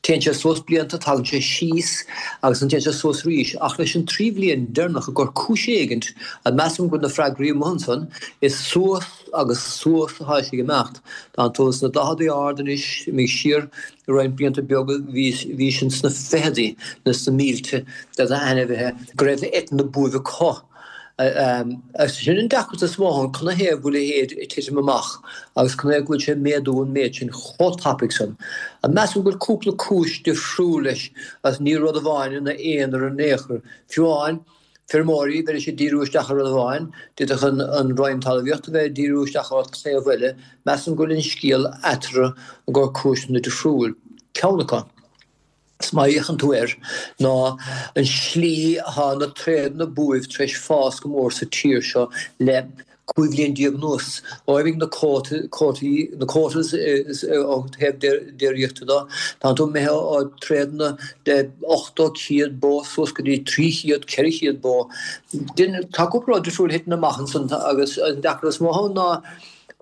téann sé suas blianta, tagann sé síos agus ansin téann sé suas arís. Ach leis an trí bhliain deireanach i gcomhair cúis éigint, measaim go bhfuil na freagraí amuigh ansan, is suas agus suas atá sé ag imeacht. Tá tú sna daicheadaí ard anois, imigh siar roinnt blianta beaga bhí bhí sin sna ficheadaí nó sna mílte de ainmhithe go raibh eitinn na buaibhe acu. Agus sin an deacracht is mó ann, canathaobh go bhfuil a leithéid ag titim amach agus canathaobh go bhfuil sé ag méadú an méid sin chomh tapaidh san. Measaim go bhfuil cúpla cúis difriúil leis agus ní rud amháin ina aonar in aon chor. Fiú amháin, feirmeoirí, bheidís ag díriú isteach ar rud amháin, d'fhéadfadh an Roinn Talmhaíochta a bheith ag díriú isteach ar taobh eile. Measaim go bhfuil an scéal eatarthu i gcomhair cúiseanna difriúil. Ceann acu. Is má fhéachann tú air, ná an slí atá na tréadanna buaibh tar éis fás go mór sa tír seo le cúig bhliain déag anuas. Ó imigh na quotaí, na quotas ó thaobh déiríochta de, tá tú imithe ó tréadanna de ochtó, céad bó suas go dtí trí chéad, ceithre chéad bó. Tá cúpla rud difriúil ag titim amach ansan agus an deacracht is mó ann ná,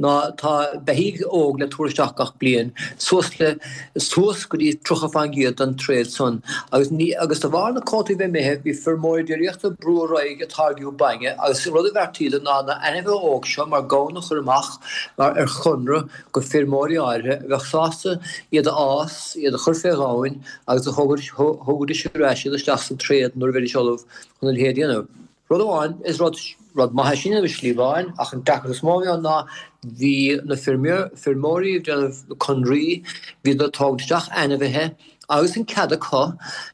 ná tá beithígh óg le tabhairt isteach gach bliain, suas le, suas go dtí tríocha fán gcéad den tréad san. Agus ní, agus de bharr na cuótaí bheith imithe, bhí feirmeoirí déiríochta ag brú ar aghaidh ag táirgiú bainne agus rud a bheartaíodar ná na ainmhithe óg seo mar gamhna a chur amach mar ar chonradh go feirmeoirí áirithe a bheadh sásta iad a fhás, iad a chur fé ghamhain agus a thógaidís ar ais iad isteach sa tréad nuair a bheidís ullamh chun a leithéid a dhéanamh. Rud amháin, is rud, rud maith é sin i slí amháin, ach an deacracht is mó a bhí ann ná bhí na feirmeoirí ag déanamh na conraí, bhíodar ag tógaint isteach ainmhithe agus an cead acu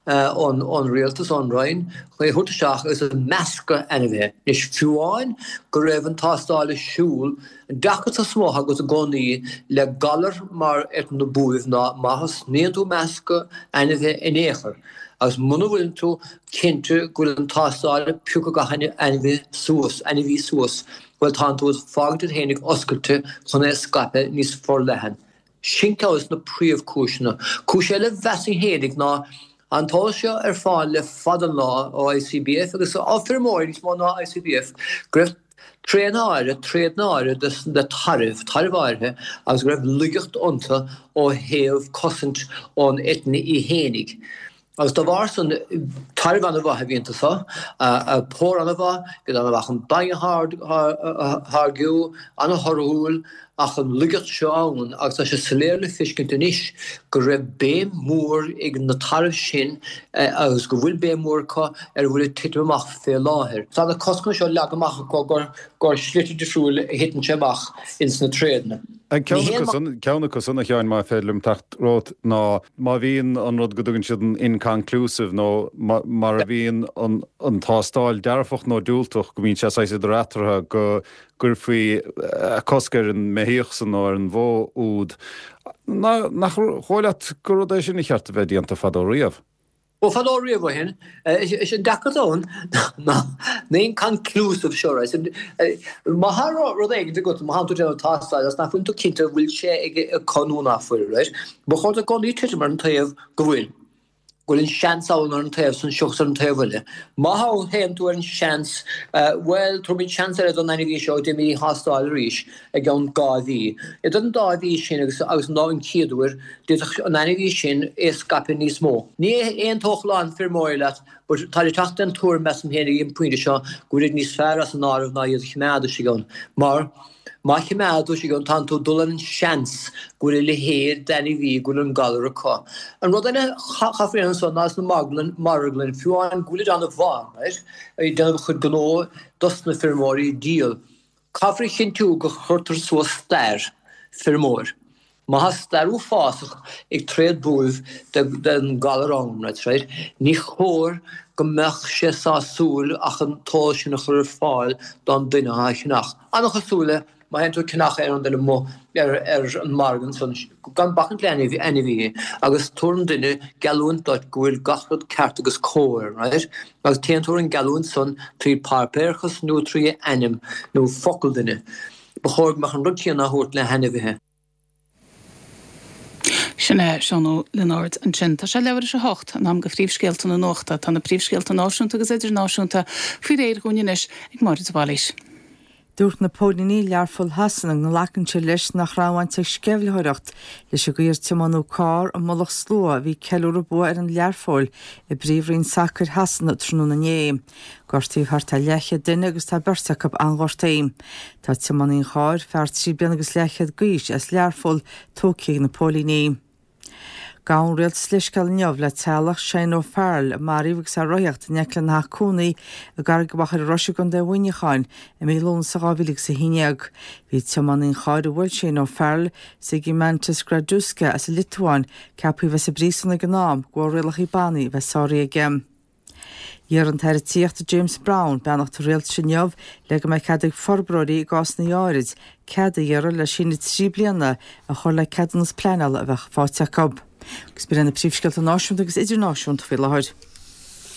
ón, ón rialtas, ón Roinn, chun é a thabhairt isteach agus ag meascadh ainmhithe. Anois, fiú amháin go raibh an tástáil ar siúl, an deacracht is mó atá agat i gcónaí le galar mar eitinn na buaibhe ná má thosnaíonn tú meascadh ainmhithe in aon chor agus muna bhfuileann tú cinnte go bhfuil an tástáil ag piocadh gach ainmhí suas, ainmhí suas, bhuel tánn tú ag fágaint iad fhéinig oscailte chun é a scaipeadh níos forleathan. Sin ceann des na príomhchúiseanna. Cúis eile mheasfainn fhéinig ná an t-eolas seo ar fáil le fada an lá ó I C B F agus ó feirmeoirí níos mó ná I C B F go raibh tréanna áirithe, tréadanna áirithe des na tairbh, tairbh áirithe agus go raibh laigeacht iontu ó thaobh cosaint ón eitinn í fhéinig. Agus dá bharr san, Tairbh an-mhaith a bhí iontu so, pór an-mhaith, iad an-mhaith chun bainne a tháirgiú, an-thorthúil, ach an laigeacht seo ann, agus tá sé soiléir le feiscint anois go raibh béim mhór ag na tairbh sin agus go bhfuil béim mhór acu ar a bhfuil ag titim amach fé láthair. Tá na coscanna seo leagtha amach acu gur slite difriúil a thiteann sé amach ins na tréadanna. Ceann acu san, a Sheáin, má féidir liom teacht romhat, ná má bhíonn an rud go dtugann siad an inconclusive nó mar a bhíonn an tástáil dearfach nó diúltach, go mbíonn sé saghas idir eatarthu, go gcuirfí cosc ar an mbeithíoch san nó ar an bhó úd. Nach dóigh leat gur rud é sin a cheart a bheith déanta fadó riamh? Ó fadó riamh ó shin, is an deacracht ann ná na inconclusive seo, right? Má tá rud éigin agat, má tá tú ag déanamh tástáil agus nach bhfuil tú cinnte an bhfuil sé acu nó nach bhfuil, right? Ba chóir duit i gcónaí titim ar an taobh go bhfuil, go bhfuil an seans ann ar an taobh san seachas ar an taobh eile. Má théann tú ar an seans, bhuel, tabharfaimid seans eile don ainmhí seo, déanfaimid thástáil arís i gceann dhá mhí. Idir an dá mhí sin agus agus an lá an chéad uair, D'fhéadfadh an ainmhí sin é a scaipeadh níos mó. Ní aontódh a lán feirmeoirí leat but táid ag teacht den tuairim, measaim féin, ag an bpointe seo, go bhfuil iad níos fearr as an áireamh ná iad a choimeád istigh ann. Mar má choimeád tú istigh ann, tánn tú ag dul ar an seans go bhfuil a leithéid d'ainmhí, go bhfuil an galar acu. An rud eile a chaithfear a dhéanamh ansan ná sna marglann, fiú amháin go bhfuilid an-mhaith, right, ag déanamh a chuid gnó dos na feirmeoirí ag díol, caithfear a chinntiú go chuirtear suas stair feirmeoir. Má tá stair uafásach ag tréad buaibh den galar ann, right, ní chóir go mbeadh sé sásúil ach an t-eolas sin a chur ar fáil don duine atá á cheannach. An-chosúil le má théann tú ag ceannach aon rud eile amuigh ar an margadh ansan, gan bacaint le ainmhithe, agus tabharann duine geallúint duit go bhfuil gach rud ceart agus cóir, right, agus téann tú ar an gheallúint san trí pháipéarachas nó trí ainm nó focal duine. Ba chóir go mbeadh an rud céanna á thabhairt le hainmhithe. Sin é Seán Ó Lionáird ansin. Tá sé leathuair tar éis a hocht, in am do phríomhscéalta na nuachta. Tá na príomhscéalta náisiúnta agus idirnáisiúnta faoi réir dhúinn anois ag Máire de Bhailís. Dúirt na póilíní i Learpholl Shasana go nglacann siad leis nach raibh baint ag sceimhlitheoireacht leis an gcaoi ar tiomáineadh carr i mullach slua a bhí ag ceiliúradh bua ar an Learpholl i bPríomhroinn Sacair Shasana tráthnóna inné. Gortaíodh thart ar leathchéad duine agus tá beirt acu an-ghortaithe. Tá tiománaí an chairr, fear trí bliana agus leathchéad d'aois as Learpholl, tógtha ag na póilíní. Gabh an rialtas leithscéal inniu le teaghlach Shane O'Farrell a maraíodh agus é ag rothaíocht in aice lena theach cónaí i gCarraig Mhachaire Rois i gContae Mhuineacháin i mí Lúnasa dhá mhíle agus a haon déag. Bhí tiománaí an chairr a bhuail Shane O'Farrell, Zygimantas Girdauskas as an Liotuáin, ceaptha a bheith sa bpríosún ag an am de bharr rialacha bannaí a bheith sáraithe aige. D'iarr an tAire Tithíochta James Browne beannacht an Rialtais inniu le go mbeidh cead ag forbróirí i gcásanna áirid cead a iarraidh le síneadh trí bliana a chur le ceadúnas pleanála a bheadh faighte acu. Agus b'in iad na príomhscéalta náisiúnta agus idirnáisiúnta faoi láthair.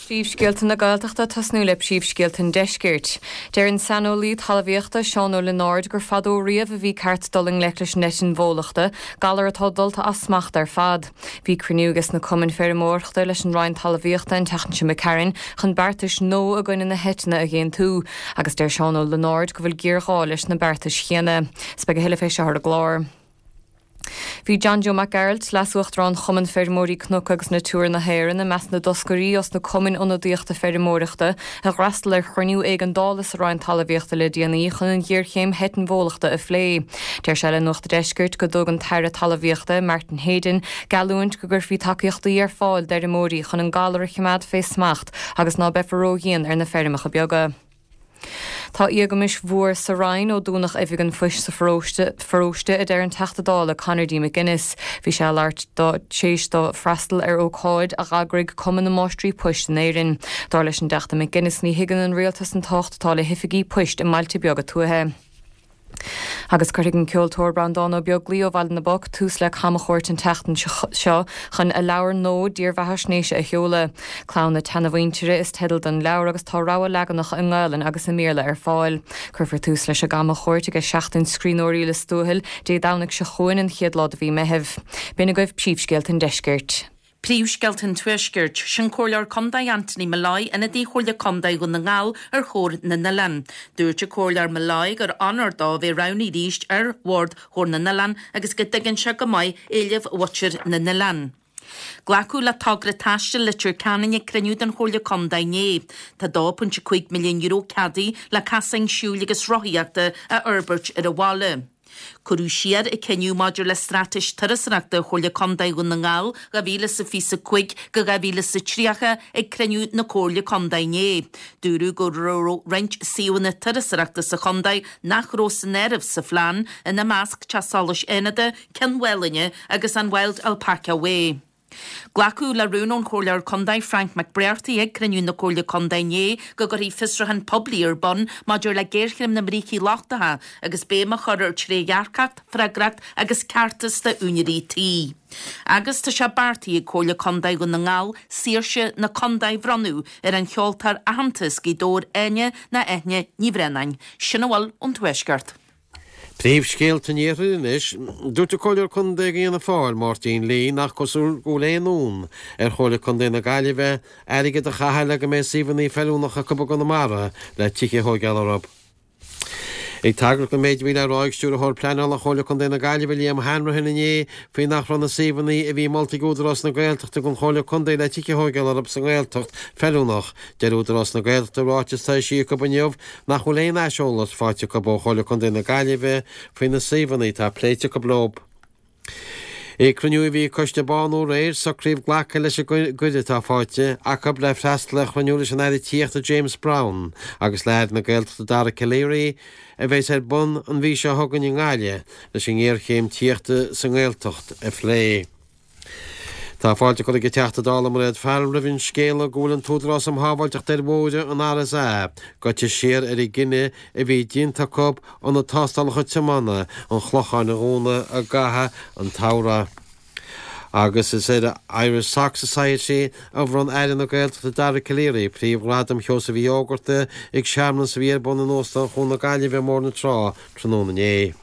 Príomhscéalta na Gaeltachta tosnú le príomhscéalta an Deiscirt. Deir an saineolaí talmhaíochta Seán Ó Lionáird gur fadó riamh a bhí ceart dul i ngleic leis an eitinn bhólachta, galar atá dulta as smacht ar fad. Bhí cruinniú ages na cumainn feirmeoireachta leis an Roinn Talmhaíochta an tseachtain seo imigh tharainn chun beartais nua i gcoinne na heitinne a dh'aontú, agus deir Seán Ó Lionáird go bhfuil géarghá leis na beartais chéanna. 'S beidh a thuilleadh fé seo ar an gclár. Bhí John Joe Mac Gearailt, Leas-Uachtarán Chumann Feirmeoirí Cnoc agus Natura na hÉireann, i measc na dtoscairí os na cumainn ionadaíochta feirmeoireachta a d'fhreastail ar chruinniú éigeandála sa Roinn Talmhaíochta le déanaí chun an ghéarchéim heitinn bhólachta a phlé. Deir sé le Nuacht an Deiscirt go dtug an tAire Talmhaíochta, Martin Heydon, geallúint go gcuirfí tacaíochtaí ar fáil d'fheirmeoirí chun an galar a choimeád fé smacht agus ná beifear ródhian ar na feirmeacha beaga. Tá éagmais mhór sa Roinn ó dúnadh oifig an phoist sa pharóiste, a deir an Teachta Dála Conor D. McGuinness. Bhí sé ag labhairt tar éis dó freastal ar ócáid a d'eagraigh Cumann na Máistrí Poist in Éirinn. Dar leis an dTeachta McGuinness ní thuigeann an rialtas an tábhacht atá le hoifigí poist i mbailte beaga tuaithe. Agus cuirfidh an ceoltóir Breandán Ó Beaglaoi ó Bhaile na bPoc tús le camchuairt an tseachtain seo chun a leabhar nua dírbheathaisnéise a sheoladh. Clann na Seanamhuintire is teideal don leabhar agus tá rogha leaganacha i nGaelainn agus i mBéarla ar fáil. Cuirfear tús leis an gcamchuairt ag Seachtain Scríbhneoirí Lios Tuathail Dé Domhnaigh seo chugainn, an chéad lá de mhí Meithimh. B'in agaibh príomhscéalta an deiscirt. Príomhscéalta an Tuaiscirt, Sin Comhairleoir Contae Anthony Molloy, ionadaí Chomhairle Contae Dhún na nGall ar Chomhar na nOileán. Dúirt an Comhairleoir Molloy gur onóir dó a bheith roghnaithe arís ar Bhord Chomhar na nOileán agus go dtuigeann sé go maith éilimh mhuintir na n-oileán. Glacadh le togra taistil Leitir Ceanainn ag cruinniú den Chomhairle Contae inné. Tá dó pointe cúig milliún euro ceadaithe le casáin siúil agus rothaíochta a fhorbairt ar an bhaile. Cuireadh siar an cinneadh maidir le Straitéis Turasóireachta Chomhairle Contae Dhún na nGall dhá mhíle is a fiche a cúig go dhá mhíle is a tríocha ag cruinniú na Comhairle Contae inné. Dúradh go raibh roinnt suíomhanna turasóireachta sa chontae nach raibh san áireamh sa phlean, ina measc Teach Solais Fhánada, Cionn Mhálanna agus an Wild Alpaca Way. Glacadh le rún ón Chomhairleoir Contae Frank McBrearty ag cruinniú na Comhairle Contae inné go gcuirfí fiosrúchán poiblí ar bun maidir le géarchéim na mbrící lochtacha agus béim a chur ar trédhearcacht, freagracht agus ceartas d'úinéirí tí. Agus tá sé beartaithe ag Comhairle Contae Dhún na nGall Saoirse na Contae a bhronnadh ar an cheoltóir aitheanta as Gaoth Dobhair Áine nó Eithne Ní Bhraonáin. Sin a bhfuil ón Tuaisceart. Príomhscéalta an Iarthair anois. Dúirt an Comhairleoir Contae do Fhianna Fáil, Máirtín Lee, nach cosúil go bhfuil aon fhonn ar Chomhairle Contae na Gaillimhe airgead a chaitheamh le go mbeidh suíomhanna feiliúnacha acu i gConamara le tithe a thóigeáil orthu. Ag tagairt don méid a bhí le rá ag Stiúrthóir Pleanála Chomhairle Contae na Gaillimhe, Liam Hanrahan inné faoi nach raibh na suíomhanna a bhí molta ag Údarás na Gaeltachta don Chomhairle Contae le tithe a thóigeáil orthu sa nGaeltacht feiliúnach, deir Údarás na Gaeltachta i ráiteas atá eisithe acu inniu nach bhfuil aon aiseolas faighte acu ó Chomhairle Contae na Gaillimhe faoi na suíomhanna atá pléite acu leo. Ag cruinniú a bhí ag Coiste Bánú aréir, socraíodh glacadh leis an gcuireadh atá faighte acu le freastal ar chruinniú leis an Aire Tithíochta James Browne agus le hAire na Gaeltachta Dara Calleary a bheas ar bun an mhí seo chugainn i nGaillimh leis an ngéarchéim tithíochta sa nGaeltacht a phlé. Tá fáilte curtha ag an Teachta Dála Mairéad Farrell roimh an scéala go bhfuil an tÚdarás um Shábháilteacht ar Bhóithre, an RSA, gaibhte siar ar an gcinneadh a bhí déanta acu ionad tástálacha tiomána an Chlocháin a dhúnadh i gcaitheamh an tsamhraidh. Agus is ar an Irish Sock Society a bhronn Aire na Gaeltachta Dara Calleary príomhghradam Sheosaimh Uí Fhógarta ag searmanas a bhí ar bun in Óstán Chuan na Gaillimhe i mBóthar na Trá tráthnóna inné.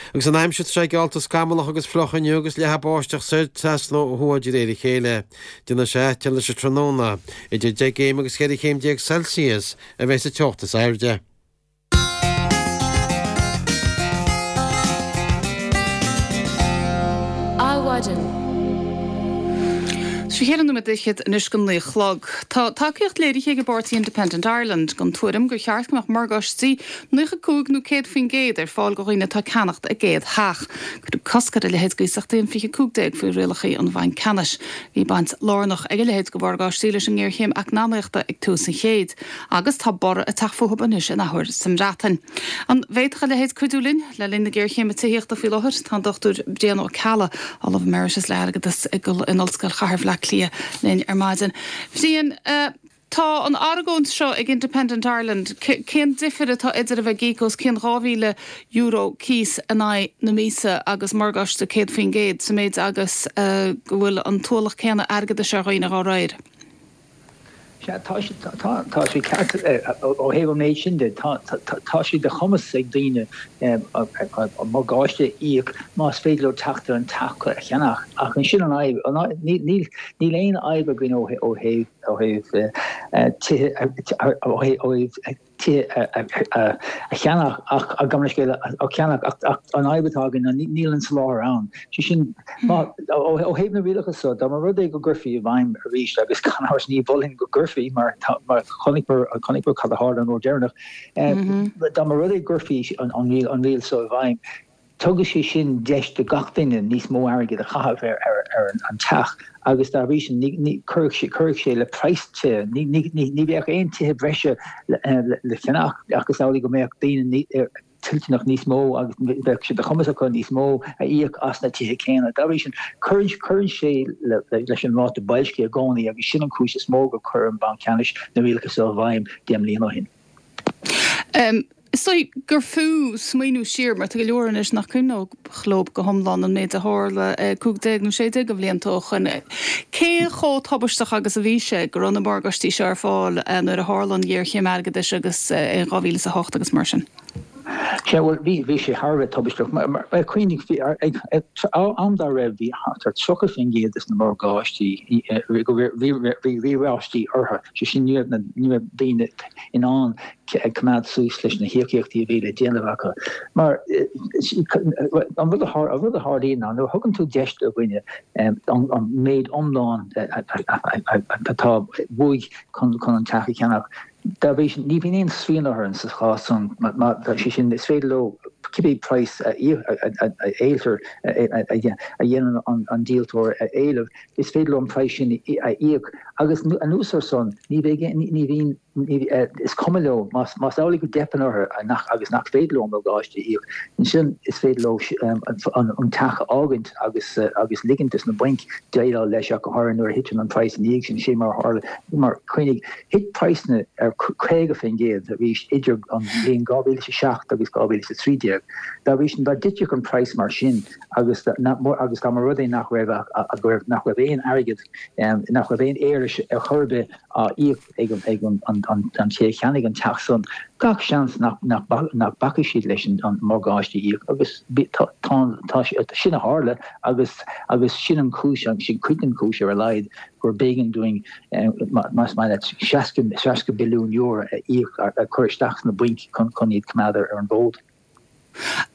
Agus an aimsir tá sé geallta scamallach agus fliuch inniu agus leathadh báisteach soir trasna ó thuaidh de réir a chéile. Déanfaidh sé te leis an tráthnóna. Idir deich gcéim agus cheithre chéim déag Celsius a bheidh sa teocht is airde. Adhmhaidin. Sé cheithre nóiméad fhichead anois go naoi a chlog. Tá tacaíocht léirithe ag an bpáirtí Independent Ireland don tuairim gur cheart go mbeadh morgáistí naocha cúig nó céad faoin gcéad ar fáil do dhaoine atá ag ceannacht a gcéad theach. Cuireadh cosc ar a leithéid d'iasachtaí in fiche cúig déag faoi rialacha an Bhainc Ceannais. Bhí baint lárnach ag a leithéid de mhorgáistí leis an ngéarchéim eacnamaíochta ag tús an chéid agus tá borradh ag teacht fúthu anois in athuair sa mBreatain. An bhféadfadh a leithéid cuidiú linn le linn na géarchéime tithíochta faoi láthair? Tá an Dochtúir Brian Ó Ceallaigh, Ollamh Emeritus le Airgeadas in Ollscoil Chathair Bhaile Átha Cliath linn ar maidin. Bhriain, tá an argóint seo ag Independent Ireland, cén difear atá idir a bheith ag íoc os cionn dhá mhíle euro cíos in aghaidh na míosa agus morgáiste céad faoin gcéad, sa méid agus go bhfuil an t-ualach céanna airgeadais ar dhaoine dhá réir? Sea, tá sé, tá sé ceart ó thaobh an méid sin de. Tá sé de chumas ag daoine morgáiste a íoc más féidir leo teacht ar an teach a cheannach. Ach ansin an fhadhb, níl aon fhadhb againn ó thaobh tithe, ó thaobh tithe a cheannach ach, gabh mo leithscéal, a cheannach ach an fhadhb atá againn ná níl an soláthar ann. Sé sin, ó thaobh na rialacha so, dá mba rud é go gcuirfí i bhfeidhm arís, agus gan amhras ní mholfainn go gcuirfí mar chonaiceamar cad a tharla an uair deireanach, dá mba rud é go gcuirfí an riail so i bhfeidhm, Tugadh sé sin deis do gach duine níos mó airgid a chaitheamh ar an teach agus dá bhrí sin chuirfeadh sé le praghas tithe. Ní bheadh aon tithe breise le ceannach ach is amhlaidh go mbeadh daoine toilteanach níos mó agus bheadh sé de chumas acu níos mó a íoc as na tithe céanna. Dá bhrí sin, cuireann sé leis an ráta boilscithe i gcónaí agus sin an chúis is mó gur chuir an Banc Ceannais na rialacha seo i bhfeidhm deich mbliana ó shin. Is dóigh gur fiú smaoineamh siar, mar tá go leor anois nach cuimhneodh leo go hiomlán an méid a tharla cúig déag nó sé déag de bhlianta ó shoin. Cé chomh tubaisteach agus a bhí sé go raibh na morgáistí seo ar fáil nuair a tharla an ghéarchéim airgeadais agus in dhá mhíle is a hocht agus mar sin? Sea, bhuel, bhí, bhí sé thar a bheith tubaisteach. Mar, mar, cuimhnigh, bhí, ag, ag, am dá raibh, bhí thart ar tríocha faoin gcéad des na morgáistí, go raibh, bhí, bhí riaráistí orthu, sé sin, ní raibh na, ní raibh daoine in ann coimeád suas leis na híocaíochtaí a bhí le déanamh acu. Mar, an rud a, an rud a tharlaíonn ná nuair a thugann tú deis do dhuine an, an méid iomlán atá uaidh chun, chun an teach a cheannach, Dá bhrí sin, ní bhíonn aon srian orthu sa chás san, má tá sé sin, is féidir leo cibé praghas a éiltear, a dhéanann an díoltóir a éileamh, is féidir leo an praghas sin a íoc. Agus anuas ar san, ní bheidh, ní bhíonn, is cuma leo, más amhlaidh go dteipeann orthu agus nach féidir leo an morgáiste a íoc, ansin is féidir leo an teach a fhágaint agus agus ligint dos na bainc déileáil leis ach go háirithe nuair a thiteann an praghas ina dhiaidh sin. Sin mar a tharla. Mar, cuimhnigh, thit praghsanna ar caoga faoin gcéad arís idir an bhliain dhá mhíle is a seacht agus dhá mhíle is a trí déag. Dá bhrí sin, dá dtitfeadh an praghas mar sin agus agus dá mba rud é nach raibh ach go raibh nach raibh aon airgead, nach raibh aon éarlais ar chor ar bith á íoc ag an an té a cheannaigh an teach san, gach seans nach nach mbacfaidh siad leis an morgáiste a íoc agus tá tá sin a tharla agus agus sin an chúis agus sin cuid den chúis ar a laghad gur b'éigean dúinn más maith leat seasca billiún euro a íoc a chur isteach sna bainc chun chun iad coimeád ar an bhfód.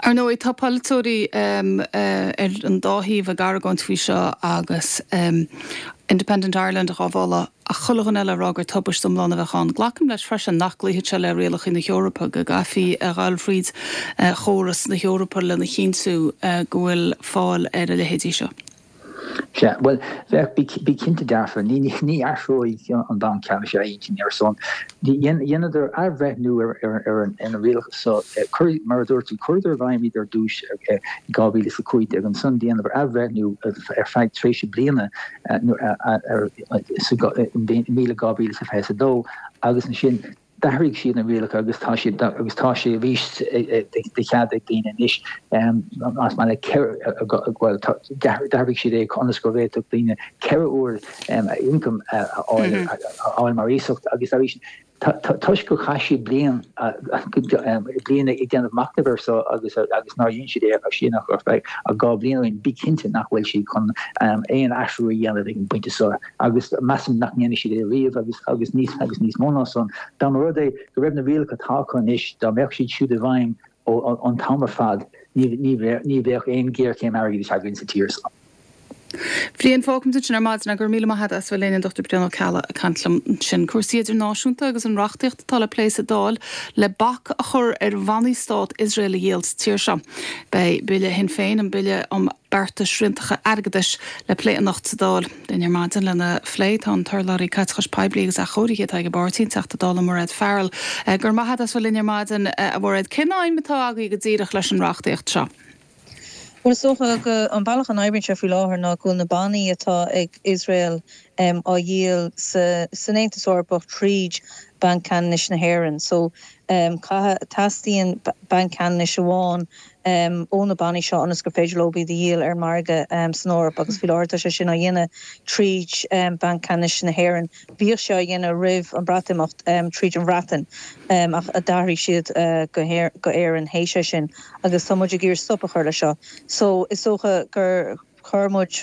Ar ndóigh, tá polaiteoirí ar an dá thaobh ag argóint faoi seo agus Independent Ireland á mholadh ach chuile dhuine eile ag rá gur tubaist iomlán a bheadh ann. Glacaim leis freisin nach gcloífidh sé le rialacha na hEorpa, go gcaithfí a dhul fríd chóras na hEorpa lena chinntiú go bhfuil fáil ar a leithéidí seo. Sea, bhuel, bheadh, bí cinnte dearfa, ní athróidh an Banc Ceannais a intinn ar son. Dheineadar athbhreithniú ar na rialacha seo, mar a dúirt tú, chuireadar i bhfeidhm iad ar dtús i dhá mhíle is a cúig déag, ansan dheineadar athbhreithniú ar feadh tréimhse bliana sa míle dhá mhíle is a fiche a dó agus ansin D'athraigh siad na rialacha agus tá siad agus tá sé arís de chead ag daoine anois más maith leat ceithre bhuel d'athraigh siad é ionas go bhféadfadh daoine ceithre uair a ioncam a fháil mar iasacht agus arís toisc gur chaith siad bliain bliain ag déanamh machnaimh air seo agus agus nár dhein siad é ach sin ach ar feadh dhá bhliain ó shin bí cinnte nach bhfuil siad chun aon athrú a dhéanamh ag an bpointe seo agus measaim nach ndéanfaidh siad é riamh agus agus níos agus níos mó ná san, dá mba rud é go raibh na rialacha atá acu anois, dá mbeadh siad siúd i bhfeidhm ó an t-am ar fad, ní ní ní bheadh aon ghéarchéim airgeadais againn sa tír seo. Bhriain, fágfaimid ansin ar maidin é. Go raibh míle maith agat as bheith linn, an Dochtúir Brian Ó Ceallaigh ag caint liom ansin. Cúrsaí idirnáisiúnta agus an reachtaíocht atá le plé sa Dáil le bac a chur ar bhannaí stát Iosrael a dhíol sa tír seo. Beidh Bille Shinn Féin, an Bille um Bearta Sriantacha Airgeadais, le plé anocht sa Dáil. Linn ar maidin lena phlé tá an t-urlabhraí Caiteachais Poiblí agus Athchóirithe atá ag an bpáirtí, an Teachta Dála Mairéad Farrell. Go raibh maith agat as bheith linn ar maidin, a Mhairéad. Cén aidhm atá agaibh go díreach leis an reachtaíocht seo? Bhuel, is dócha go an bealach a n-oibríonn sé faoi láthair ná go bhfuil na bannaí atá ag Iosrael á dhíol san Aontas Eorpach tríd Banc Ceannais na hÉireann. So, caithfidh, teastaíonn Banc Ceannais amháin ó na bannaí seo ionas gur féidir leo iad a dhíol ar an margadh san Eoraip agus faoi láthair tá sé sin á dhéanamh tríd Banc Ceannais na hÉireann. Bhíodh sé á dhéanamh roimh an Breatimeacht tríd an Bhreatain ach d'athraigh siad go Éirinn théis é sin agus tá muid ag iarraidh stop a chur leis seo. So is dócha gur chuir muid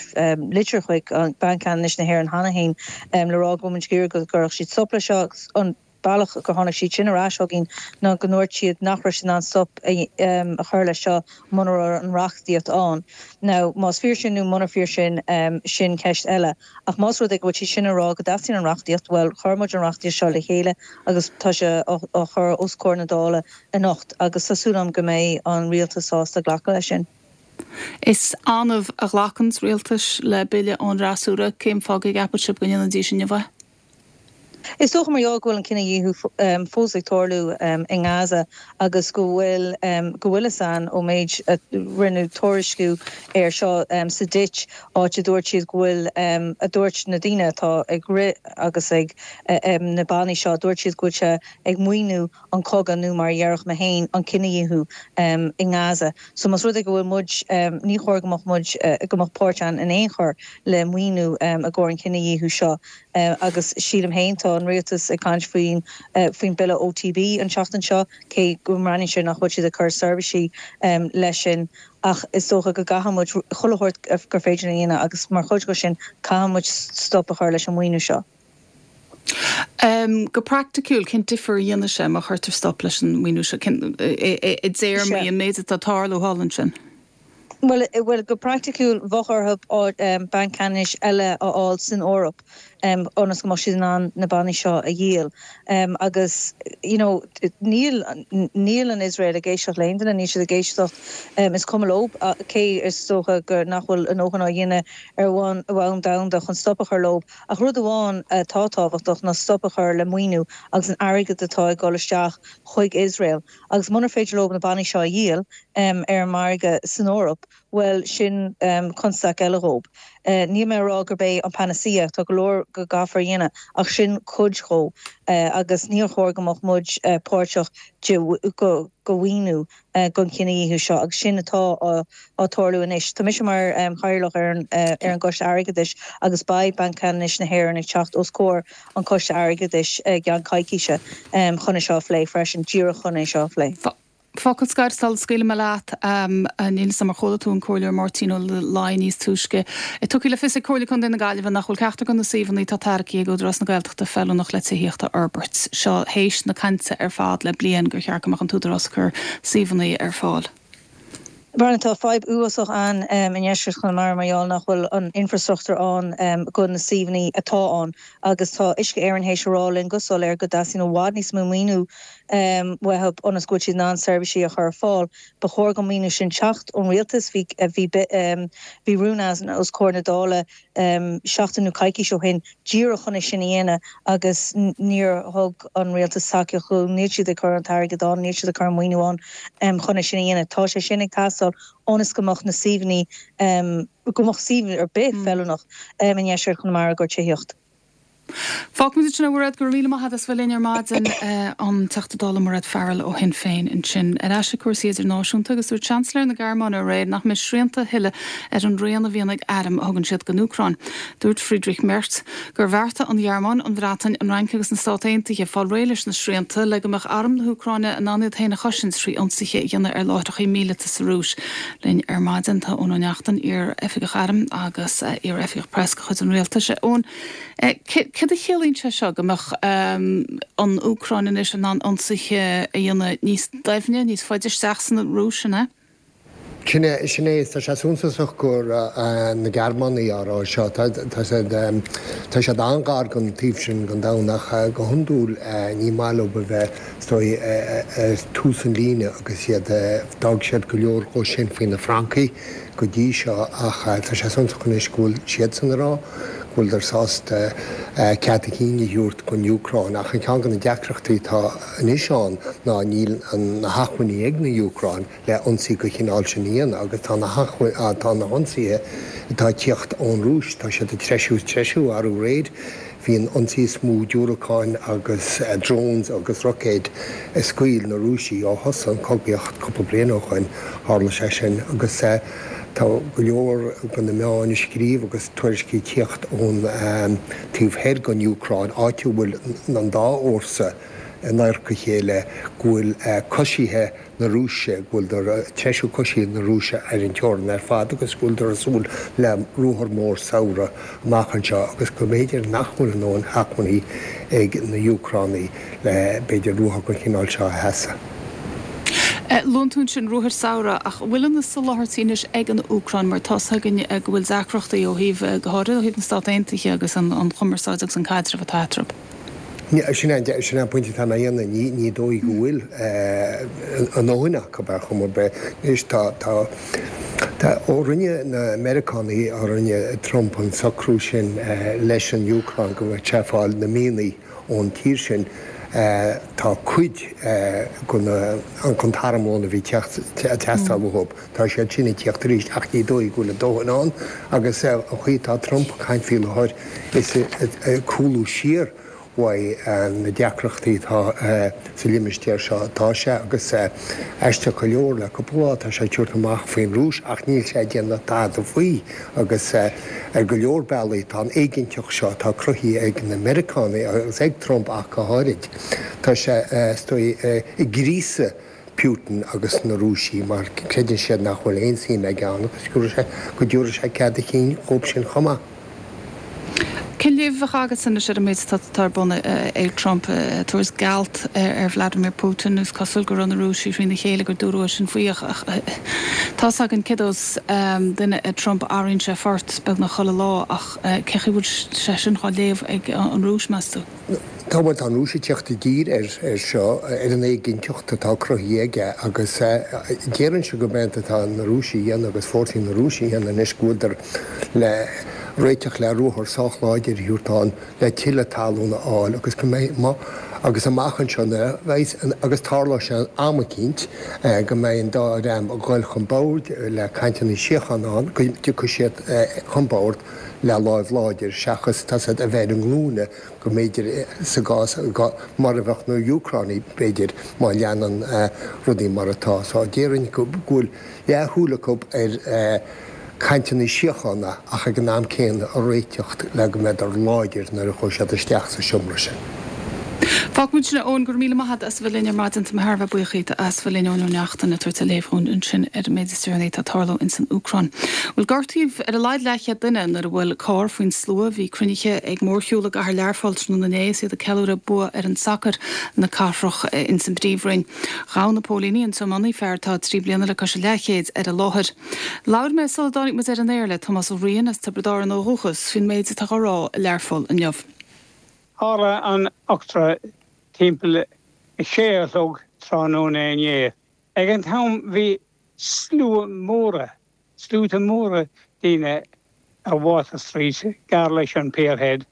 litir chuig Banc Ceannais na hÉireann cheana féin le rá go bhfuil muid ag iarraidh go gcuirfeadh siad stop leis seo agus an bealach gur tháinig siad sin ar ais chugainn ná go ndúirt siad nach raibh siad in ann stop a chur leis seo muna raibh an reachtaíocht ann. Now, más fíor sin nó munar fíor sin, sin ceist eile. Ach más rud é go bhfuil siad sin ag rá go dteastaíonn an reachtaíocht, bhuel, chuir muid an reachtaíocht seo le chéile agus tá sé á chur os comhair na Dála anocht agus tá súil agam go mbeidh an rialtas sásta glacadh leis sin. Is annamh a ghlacanns rialtais le bille ón fhreasúra. Cén fáth go gceapann sibh go ndéanfaidís inniu é? Is dócha mar gheall go bhfuil an cinedhíothú fós ag tarlú i nGaza agus go bhfuil go bhfuil fhios a'inn ón méid a rinneadh tuairisciú air seo sa Ditch áit a dúirt siad go bhfuil a dúirt na daoine atá ag rith agus ag na bannaí seo dúirt siad go bhfuil sé ag maoiniú an cogadh nó mar a dhéarfadh mé féin an cinedhíothú i nGaza. So más rud é go bhfuil muid ní chóir go mbeadh muid go mbeadh páirt a'inn in aon chor le maoiniú i gcomhair an cinedhíothú seo. Agus sílim féin tá Tá an rialtas ag caint faoin faoin bille OTB an tseachtain seo, cé go mbreathnaíonn sé nach bhfuil siad ag cur seirbhísí leis sin ach is dócha go gcaithfidh muid chuile shórt gur féidir a dhéanamh agus mar chuid de sin caithfidh muid stop a chur leis an maoiniú seo. Um, go praiticiúil cén difear a dhéanfaidh sé má chuirtear stop leis an maoiniú seo i dtéarmaí an méid atá ag tarlú thall ansin. Well, well go praiticiúil bheadh orthu um, banc ceannais eile a fháil san Eoraip um, ionas go mbeadh siad in ann na bannaí seo a dhíol. Um, agus you know, níl níl an Israel ag éisteacht le haon duine, níl siad ag éisteacht um, is cuma leo cé is dócha gur nach bhfuil a ndóthain á dhéanamh ar bhonn bhonn domhanda chun stop a chur leo ach rud amháin atá tábhachtach ná stop a chur le maoiniú agus an airgead atá ag dul isteach chuig Israel. Agus munar féidir leo na bannaí seo a dhíol um, ar an margadh san Eoraip, well sin um, constaic eile dhóibh. Uh, Níl mé ag rá gurb é an panacea tá go leor go gcaithfear a dhéanamh ach sin cuid dhó uh, agus níor chóir go mbeadh muid uh, páirteach de go go mhaoiniú uh, don chinedhíothú seo agus sin atá á tarlú anois. Tá mise mar um, chathaoirleach ar an uh, ar an gCoiste Airgeadais agus beidh Banc Ceannais na hÉireann ag teacht os comhair an Choiste Airgeadais uh, i gceann coicíse um, chun é seo a phlé freisin díreach chun é seo a phlé. Focal scoir sula scaoilim leat níl a fhios agam ar chuala tú an Comhairleoir Máirtín Ó Laighin níos túisce. Tugtha le fios ag Comhairle Contae na Gaillimhe nach bhfuil ceachtar de na suíomhanna atá tairgthe ag Údarás na Gaeltachta feiliúnach le tithíocht a fhorbairt. Seo théis na cainte ar fad le bliain gur cheart go mbeadh an tÚdarás ag cur suíomhanna ar fáil. Brian tá fadhb uafásach ann um, i ndeisceart Chonamara mar gheall nach bhfuil an infrastruchtúr ann um, go na suíomhanna atá ann agus tá Uisce Éireann théis a rá linn go soiléir go dteastaíonn i bhfad níos mó maoiniú um, uathu ionas go bhfuil siad in ann seirbhísí a chur ar fáil. Ba chóir don mhaoiniú sin teacht ón rialtas bhí bhí um, bhí rún os comhair na Dála um, seachtain nó coicís ó shin díreach chun é sin a dhéanamh agus níor thug an rialtas tacaíocht níl siad ag cur an t-airgead ann, níl siad ag cur an maoiniú ann um, chun é sin a dhéanamh. Tá sé sin ag teastáil ionas go mbeadh na suíomhanna um, go mbeadh suíomh ar bith mm. feiliúnach um, i ndeisceart Chonamara do thithíocht. Fágfaimid ansin é a Mhairéad go raibh míle maith agat as bheith linn ar maidin an Teachta Dála Mairéad Farrell ó Shinn Féin ansin. Ar ais ag cúrsaí idirnáisiúnta agus dúirt Seansailéir na Gearmáine aréir nach mbeidh srianta a thuilleadh ar an raon a bhíonn ag airm a thugann siad don Úcráin. Dúirt Friedrich Merz gur bheartaigh an Ghearmáin, an Bhreatain, an Fhrainc agus na Stáit Aontaithe fáil réidh leis na srianta le go mbeadh arm na hÚcráine in ann iad féin a chosaint trí ionsaithe a dhéanamh ar láithreacha míleata sa Rúis. Linn ar maidin tá Eoin Ó Neachtain iar-oifigeach airm agus iar-oifigeach preas de chuid an rialtais. Eoin, Cad a chiallaíonn sé seo go mbeadh an Úcráin anois in ann ionsaithe a dhéanamh níos doimhne, níos faide isteach san Rúis an ea? Sin é, sin é, tá sé suntasach gur na Gearmánaigh á rá seo, tá siad, tá siad an-ghar don taobh sin den domhan ach go hiondúil ní maith leo a bheith, is dóigh, ar tús an líne agus iad, d'fhág siad go leor dhó sin faoi na Francaigh go dtí seo ach tá sé suntasach anois go bhfuil siadsan ag rá go bhfuileadar sásta cead a chinn a thabhairt don Úcráin ach an ceann de na deacrachtaí atá anois ann ná níl na hacmhainní ag na Úcráin le ionsaí den chineál sin a dhéanamh agus tá na tá na hionsaithe atá ag tíocht ón Rúis, tá siad ag treisiú is treisiú arú aréir bhí an ionsaí is mó diúracáin agus drones agus roicéid a scaoil na Rúisigh ó thosaigh an chogaíocht cúpla bliain ó shoin, tharla sé sin agus Tá go leor de na meáin ag scríobh agus tuairiscí ag tíocht ón taobh thoir den Úcráin, áit a bhfuil an dá fhórsa in adharca a chéile, go bhfuil coisithe na Rúise, go bhfuileadar ag treisiú coisithe na Rúise ar an teorainn ar fad agus go bhfuileadar ag súil le ruathar mór samhraidh amach anseo agus go mb'fhéidir nach bhfuil a ndóthain acmhainní ag na Úcránaigh le b'fhéidir ruathar den chineál seo a sheasamh. Luann tú ansin ruathar samhraidh, ach an bhfuil na soláthairtí anois ag an Úcráin mar tá's againn go bhfuil deacrachtaí ó thaobh, go háirithe ó thaobh na Stát Aontaithe agus an chumarsáid agus an caidreamh atá eatarthu? Sin é an pointe atá mé a dhéanamh, ní dóigh go bhfuil a ndóthain acu ar chuma ar bith. Anois tá, tá, tá, ó rinne na Meiriceánaigh, ó rinne Trump an socrú sin leis an Úcráin go mbeadh sé ag fáil na mianaigh ón tír sin, Tá cuid den t-armlón a bhí ag teastáil uathu, tá siad sin ag tíocht arís ach ní dóigh go bhfuil a dóthain ann agus an chaoi atá Trump ag caint faoi láthair is ag cúlú siar uaidh na deacrachtaí atá sa limistéar seo. Tá sé, agus aisteach go leor, le cúpla lá tá sé ag tabhairt amach faoin Rúis ach níl sé ag déanamh tada faoi agus ar go leor bealaí tá an éiginnteacht seo atá cruthaithe ag na Meiriceánaigh agus ag Trump ach go háirid, tá sé is dóigh ag gríosadh Putin agus na Rúisigh mar creideann siad nach bhfuil aon suim aige ann agus go dtabharfaidh sé cead a chinn dhóibh sin chomh maith. Cén léamh a bheadh agatsa anois ar an méid atá ar bun ag Trump, ag tabhairt gealt ar Vladimir Putin? Is cosúil go raibh na Rúisigh thrína chéile gur dúradh é sin faoi ach tá's againn cé dós duine é Trump, athraíonn sé phort beagnach chuile lá ach cé chaoi bhfuil sé sin dhá léamh ag an Rúis, meas tú? Tá, bhuel, tá an Rúis ag teacht i dtír air seo, ar an éiginnteacht atá cruthaithe aige agus déarfainnse gurb é atá na Rúisigh a dhéanamh agus fórsaí na Rúise a dhéanamh anois go bhfuileadar le réiteach le ruathar sách láidir a thabhairt ann le tuilleadh talún a fháil agus go mbeidh, má, agus amach anseo nuair a bheidh, agus tarlóidh sé am eicínt, go mbeidh an dá dhream ag goil chun boird le cainteanna síochána ann, go dtiocfaidh siad chun boird le láimh láidir seachas tá siad a bheith ar a nglúine go mb'fhéidir sa gcás mar a bheadh na Úcránaigh b'fhéidir má leanann rudaí mar atá. So déarfainn go bhfuil leathshúil acu ar cainteanna síochána ach ag an am céanna a réiteacht le go mbeadar láidir nuair a chuaigh siad isteach sa seomra sin. Fágfaidh muid sin, a Eoin, go raibh míle maith agat as a bheith linn ar maidin. Tá mé thar a bheith buíoch díot as bheith linn, Eoin Ó Neachtain, ag tabhairt a léamh dhúinn ansin ar an méid is deireanaí atá ag tarlú ins an Úcráin. Bhuel, gortaíodh ar a laghad leathchéad duine nuair a bhuail carr faoin slua a bhí cruinnithe ag mórshiúl i gcathair Learpholl tráthnóna inné is iad ag ceiliúradh bua fhoireann sacair na cathrach ins an bPríomhroinn. Ghabh na póilíní an tiománaí, fear atá trí bliana le cois an leathchéid, ar an láthair. Labhair mé sula dtáinig muid ar an aer le Tomás Ó Riain as Tiobraid Árann ó dhúchas faoin méid atá á rá i Learpholl inniu. Tharla an eachtra timpeall a sé a chlog tráthnóna inné. Ag an t-am bhí slua móra, sluaite móra daoine ar Water Street gar leis an Pierhead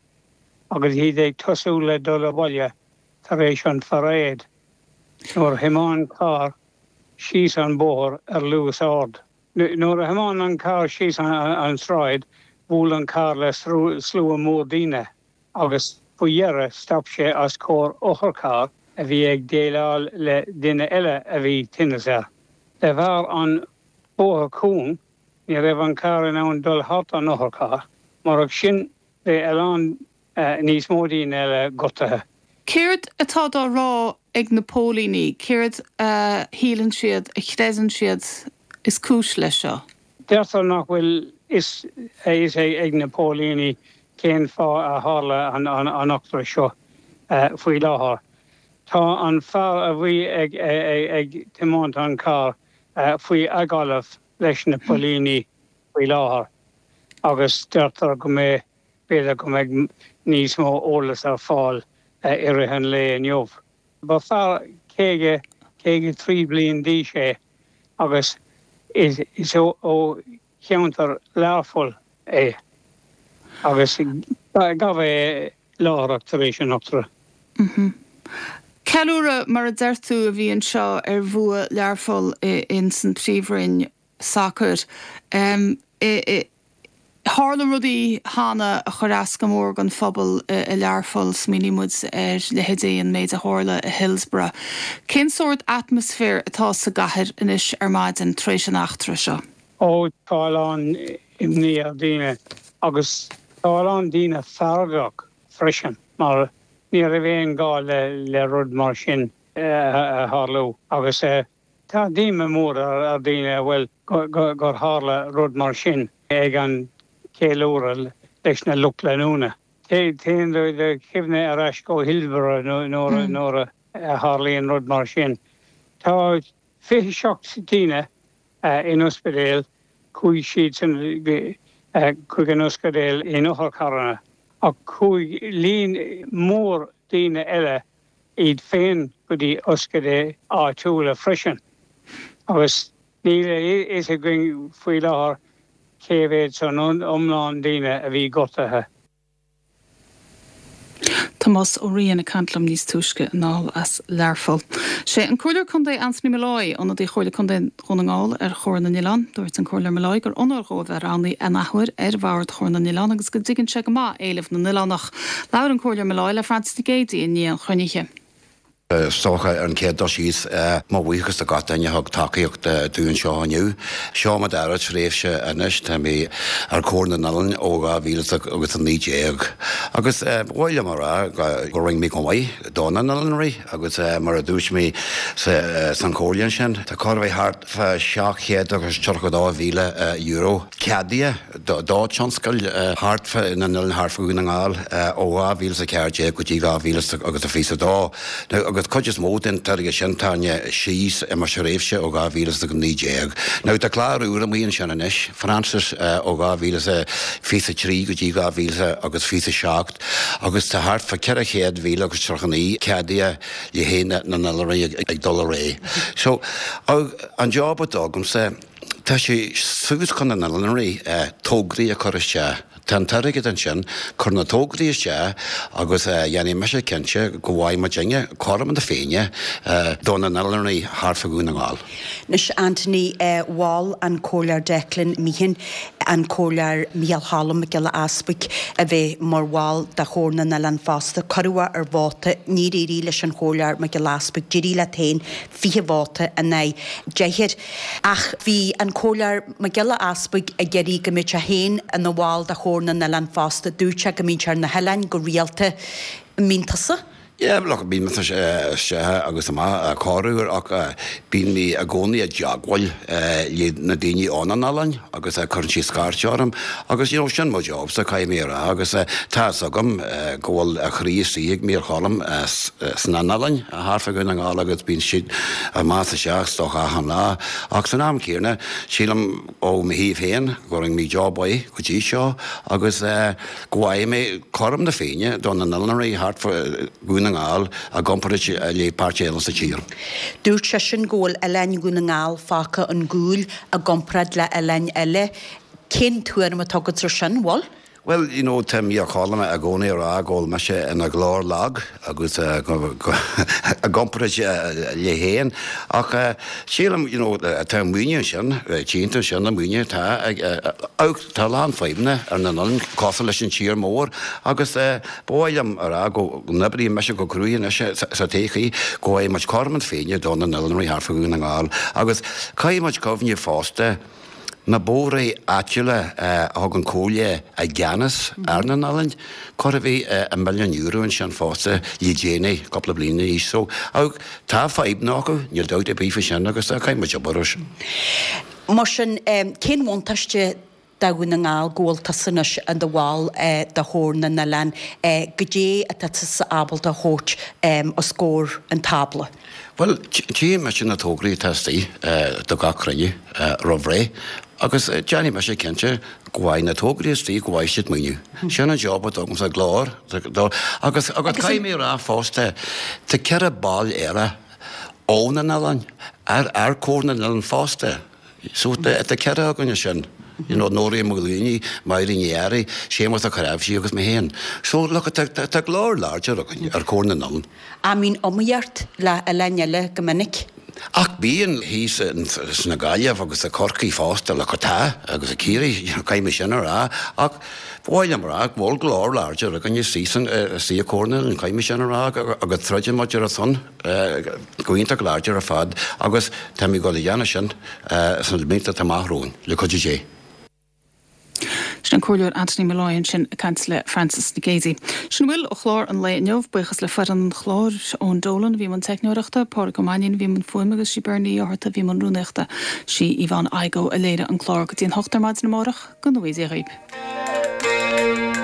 agus iad ag tosú le dul abhaile tar éis an pharáid nuair a thiomáin carr síos an bóthar ar luas ard. Nuair a thiomáin an carr síos an tsráid bhuail an carr le slua mór daoine. agus faoi dheireadh stop sé os comhair otharcharr a bhí ag déileáil le duine eile a bhí tinneas air. De bharr an bóthar cúng, ní raibh an carr in ann dul thart an otharcharr, murach sin bheadh a lán níos mó daoine eile gortaithe. Céard atá dá rá ag na póilíní? Céard a shíleann siad, a chreideann siad is cúis leis seo? Deirtear nach bhfuil a fhios ag na póilíní cén fáth a tharla an eachtra seo faoi láthair. Tá an fear a bhí ag tiomáint an carr faoi agallamh leis na póilíní faoi láthair agus deirtear go mbeidh, b'fhéidir go mbeidh níos mó eolas ar fáil i rith an lae inniu. Ba fear caoga, caoga trí bliain d'aois é agus is ó cheantar Learpholl é agus gabhadh é láithreach tar éis an eachtra. Ceiliúradh, mar a deir tú, a bhí anseo ar bhua Learpholl ins an Príomhroinn sacair. Tharla rudaí cheana a chuir as go mór don phobal i Learpholl, smaoiníonn muid ar leithéidí an méid a tharla i Hillsborough. Cén sórt atmaisféir atá sa gcathair anois ar maidin tar éis an eachtra seo? Ó, tá a lán imní ar daoine agus tá a lán daoine feargach freisin mar ní raibh aon gá le rud mar sin a tharlú agus tá díoma mór ar daoine a bhfuil gur tharla rud mar sin ag an cheiliúradh leis na lucht leanúna. Téann do chuimhne ar ais go Hillsborough nuair a tharlaíonn rud mar sin. Tá fiche seacht daoine in ospidéal, chuaigh siadsan chuig an ospidéal in otharcharranna, ach chuaigh líon mór daoine eile iad féin go dtí ospidéil áitiúla freisin agus níl a fhios againn faoi láthair cé mhéad san iomlán daoine a bhí gortaithe. Tomás Ó Riain ag caint liom níos túisce anall as Learpholl. Sé an Comhairleoir Contae Anthony Molloy, ionadaí Chomhairle Contae Dhún na nGall ar Chomhar na nOileán. Dúirt an Comhairleoir Molloy gur onóir dhó a bheith roghnaithe an athuair ar bhord Chomhar na nOileán agus go dtuigeann sé go maith éilimh na n-oileánach. Labhair an Comhairleoir Molloy le Frances Nic Géadaigh i ndiaidh an chruinnithe. Is dócha ar an chéad dul síos, mo bhuíochas do gach duine a thug tacaíocht dúinn anseo inniu. Seo mo dara tréimhse anois, tá mé ar Chomhar na nOileán ó dhá mhíle agus a naoi déag. Agus ba mhaith liom a rá go rinne mé go maith do na n-oileánraí agus mar a dúirt mé san chomhairle ansin, tá chóir a bheith thart fá seacht chéad agus tríocha dó mhíle euro ceadaithe do tionscail thart fá na n-oileán thart fá Dhún na nGall ó dhá mhíle is a ceathair déag go dtí dhá mhíle agus a fiche a dó. Now agus cuid is mó den t-airgead sin táine síos i mo thréimhse ó dhá mhíle is a naoi déag. Now tá clár úr amuigh ansin anois, Frances, ó dhá mhíle is a fiche a trí go dtí dhá mhíle agus fiche a seacht agus tá thart fá ceithre chéad mhíle agus tríocha naoi ceadaithe le haghaidh na n-oileánraí ag dul ar aghaidh. So, an job atá agamsa, tá sé suas chun na n-oileánraí tograí a chur isteach. Tá an t-airgead ansin, cuir na tograí isteach agus dhéanfaidh mise cinnte go bhfaighidh muidinne cothrom na Féinne do na n-oileánraí thart fá Dhún na nGall. Anois Anthony, mhol an Comhairleoir Declan Meehan an Comhairleoir Micheál Cholm Mac Giolla Easbuig a bheith mar bhall de Chomhar na nOileán fosta. Cuireadh ar vóta, níor éirigh leis an Chomhairleoir Mac Giolla Easbuig, d'éirigh leat féin fiche vóta in aghaidh deichniúr. Ach bhí an Comhairleoir Mac Giolla Easbuig ag iarraidh go mbeadh sé féin ina bhall de Chomhar na nOileán fosta. Dúirt sé go mbíonn sé ar na hoileáin go rialta. An mbíonn tusa? Yeah, look, bíonn mise isteach agus amach corruair ach bíonn mé i gcónaí i dteagmháil le na daoine ó na n-oileáin agus cuireann siad scairt orm agus you know sin mo job sa caithfidh mé a rá agus tá fhios agam go bhfuil a chroí istigh ag Mícheál Cholm sna n-oileáin thart fá Dhún na nGall agus bíonn siad amach is isteach is dócha achan lá ach san am céanna sílim ó mo thaobh féin go rinne mé job mhaith go dtí seo agus go bhfaighidh mé cothrom na Féinne do na n-oileánraí thart fá Dhún na nGall i gcomparáid le páirt eile sa tír. Dúirt seisean go bhfuil oileáin Dhún na nGall fágtha chun cúil i gcomparáid le oileáin eile. Cén tuairim atá agat ar sin, bhfuil? Bhuel, you know, tá Mícheál Cholm i gcónaí ag rá go bhfuil mise ina ghlór lag agus i gcomparáid léi féin ach sílim, you know, tá an maoiniú ansin, cinnte sin an maoiniú atá ag, tá a lán fadhbanna ar na n-oileáin cosúil leis an tír mór agus ba mhaith liom a rá go n-oibríonn mise go cruaidh anois sa todhchaí go bhfaighidh muid cothrom na Féinne do na n-oileánraí thart fá Dhún na nGall agus caithfidh muid cuimhneamh fosta Na bóithre áitiúla a thug an Comhairle i gceannas ar na n-oileáin, chóir a bheith i milliún euro ansin fosta le déanaí, cúpla bliain anois. So, tá fadhbanna acu, níl dabht ar bith faoi sin agus caithfidh muid obair air sin. Mar sin, cén bhuntáiste do Dhún na nGall go bhfuil tusa anois i do bhall de Chomhar na nOileán? Goidé atá tusa ábalta a thabhairt os comhair an tábla? Bhuel, tchíonn mise na tograí atá istigh do gach cruinniú roimh ré agus déanfaidh mise cinnte go bhfaighidh na tograí istigh, go bhfaighidh siad maoiniú. Sin an job atá agamsa, glór agus agus caithfidh mé a rá fosta, tá ceithre ball eile ó na n-oileáin ar ar Comhar na nOileán fosta. So tá ceithre againn ansin. You know, Nóirín Maoilíní, Máirín Ní Fhearraigh, Séamus Ó Cnáimhsí agus mé féin. So, look, tá, tá, tá glór láidir againn ar Chomhar na nOileán. An mbíonn iomaíocht le oileáin eile go minic? Ach bíonn thíos sna Gaillimh agus i Corcaigh fosta, look, tá, agus i Ciarraí, you know, caithfidh mé sin a rá. Ach ba mhaith liom a rá go bhfuil glór láidir againn istigh san, istigh i Comhar na nOileán, caithfidh mé sin a rá, agus troideann muid ar a son go iontach láidir ar fad agus táimid ag dul a dhéanamh sin sna blianta atá amach romhainn, le cuidiú Dé. Sin an Comhairleoir Anthony Molloy ansin ag caint le Frances Nic Géadaigh. Sin a bhfuil ó chlár an lae inniu. Buíochas le foireann an chláir, Eoin Dolan a bhí i mbun teicneoireachta, Pádraig Ó Mainnín a bhí i mbun fuaime agus sí Bernie Ní Fhátharta a bhí i mbun rúnaíochta. Sí Yvonne Igoe a léirigh an clár. Go dtí an hocht ar maidin amárach, go ngnóthaí Dia dhaoibh.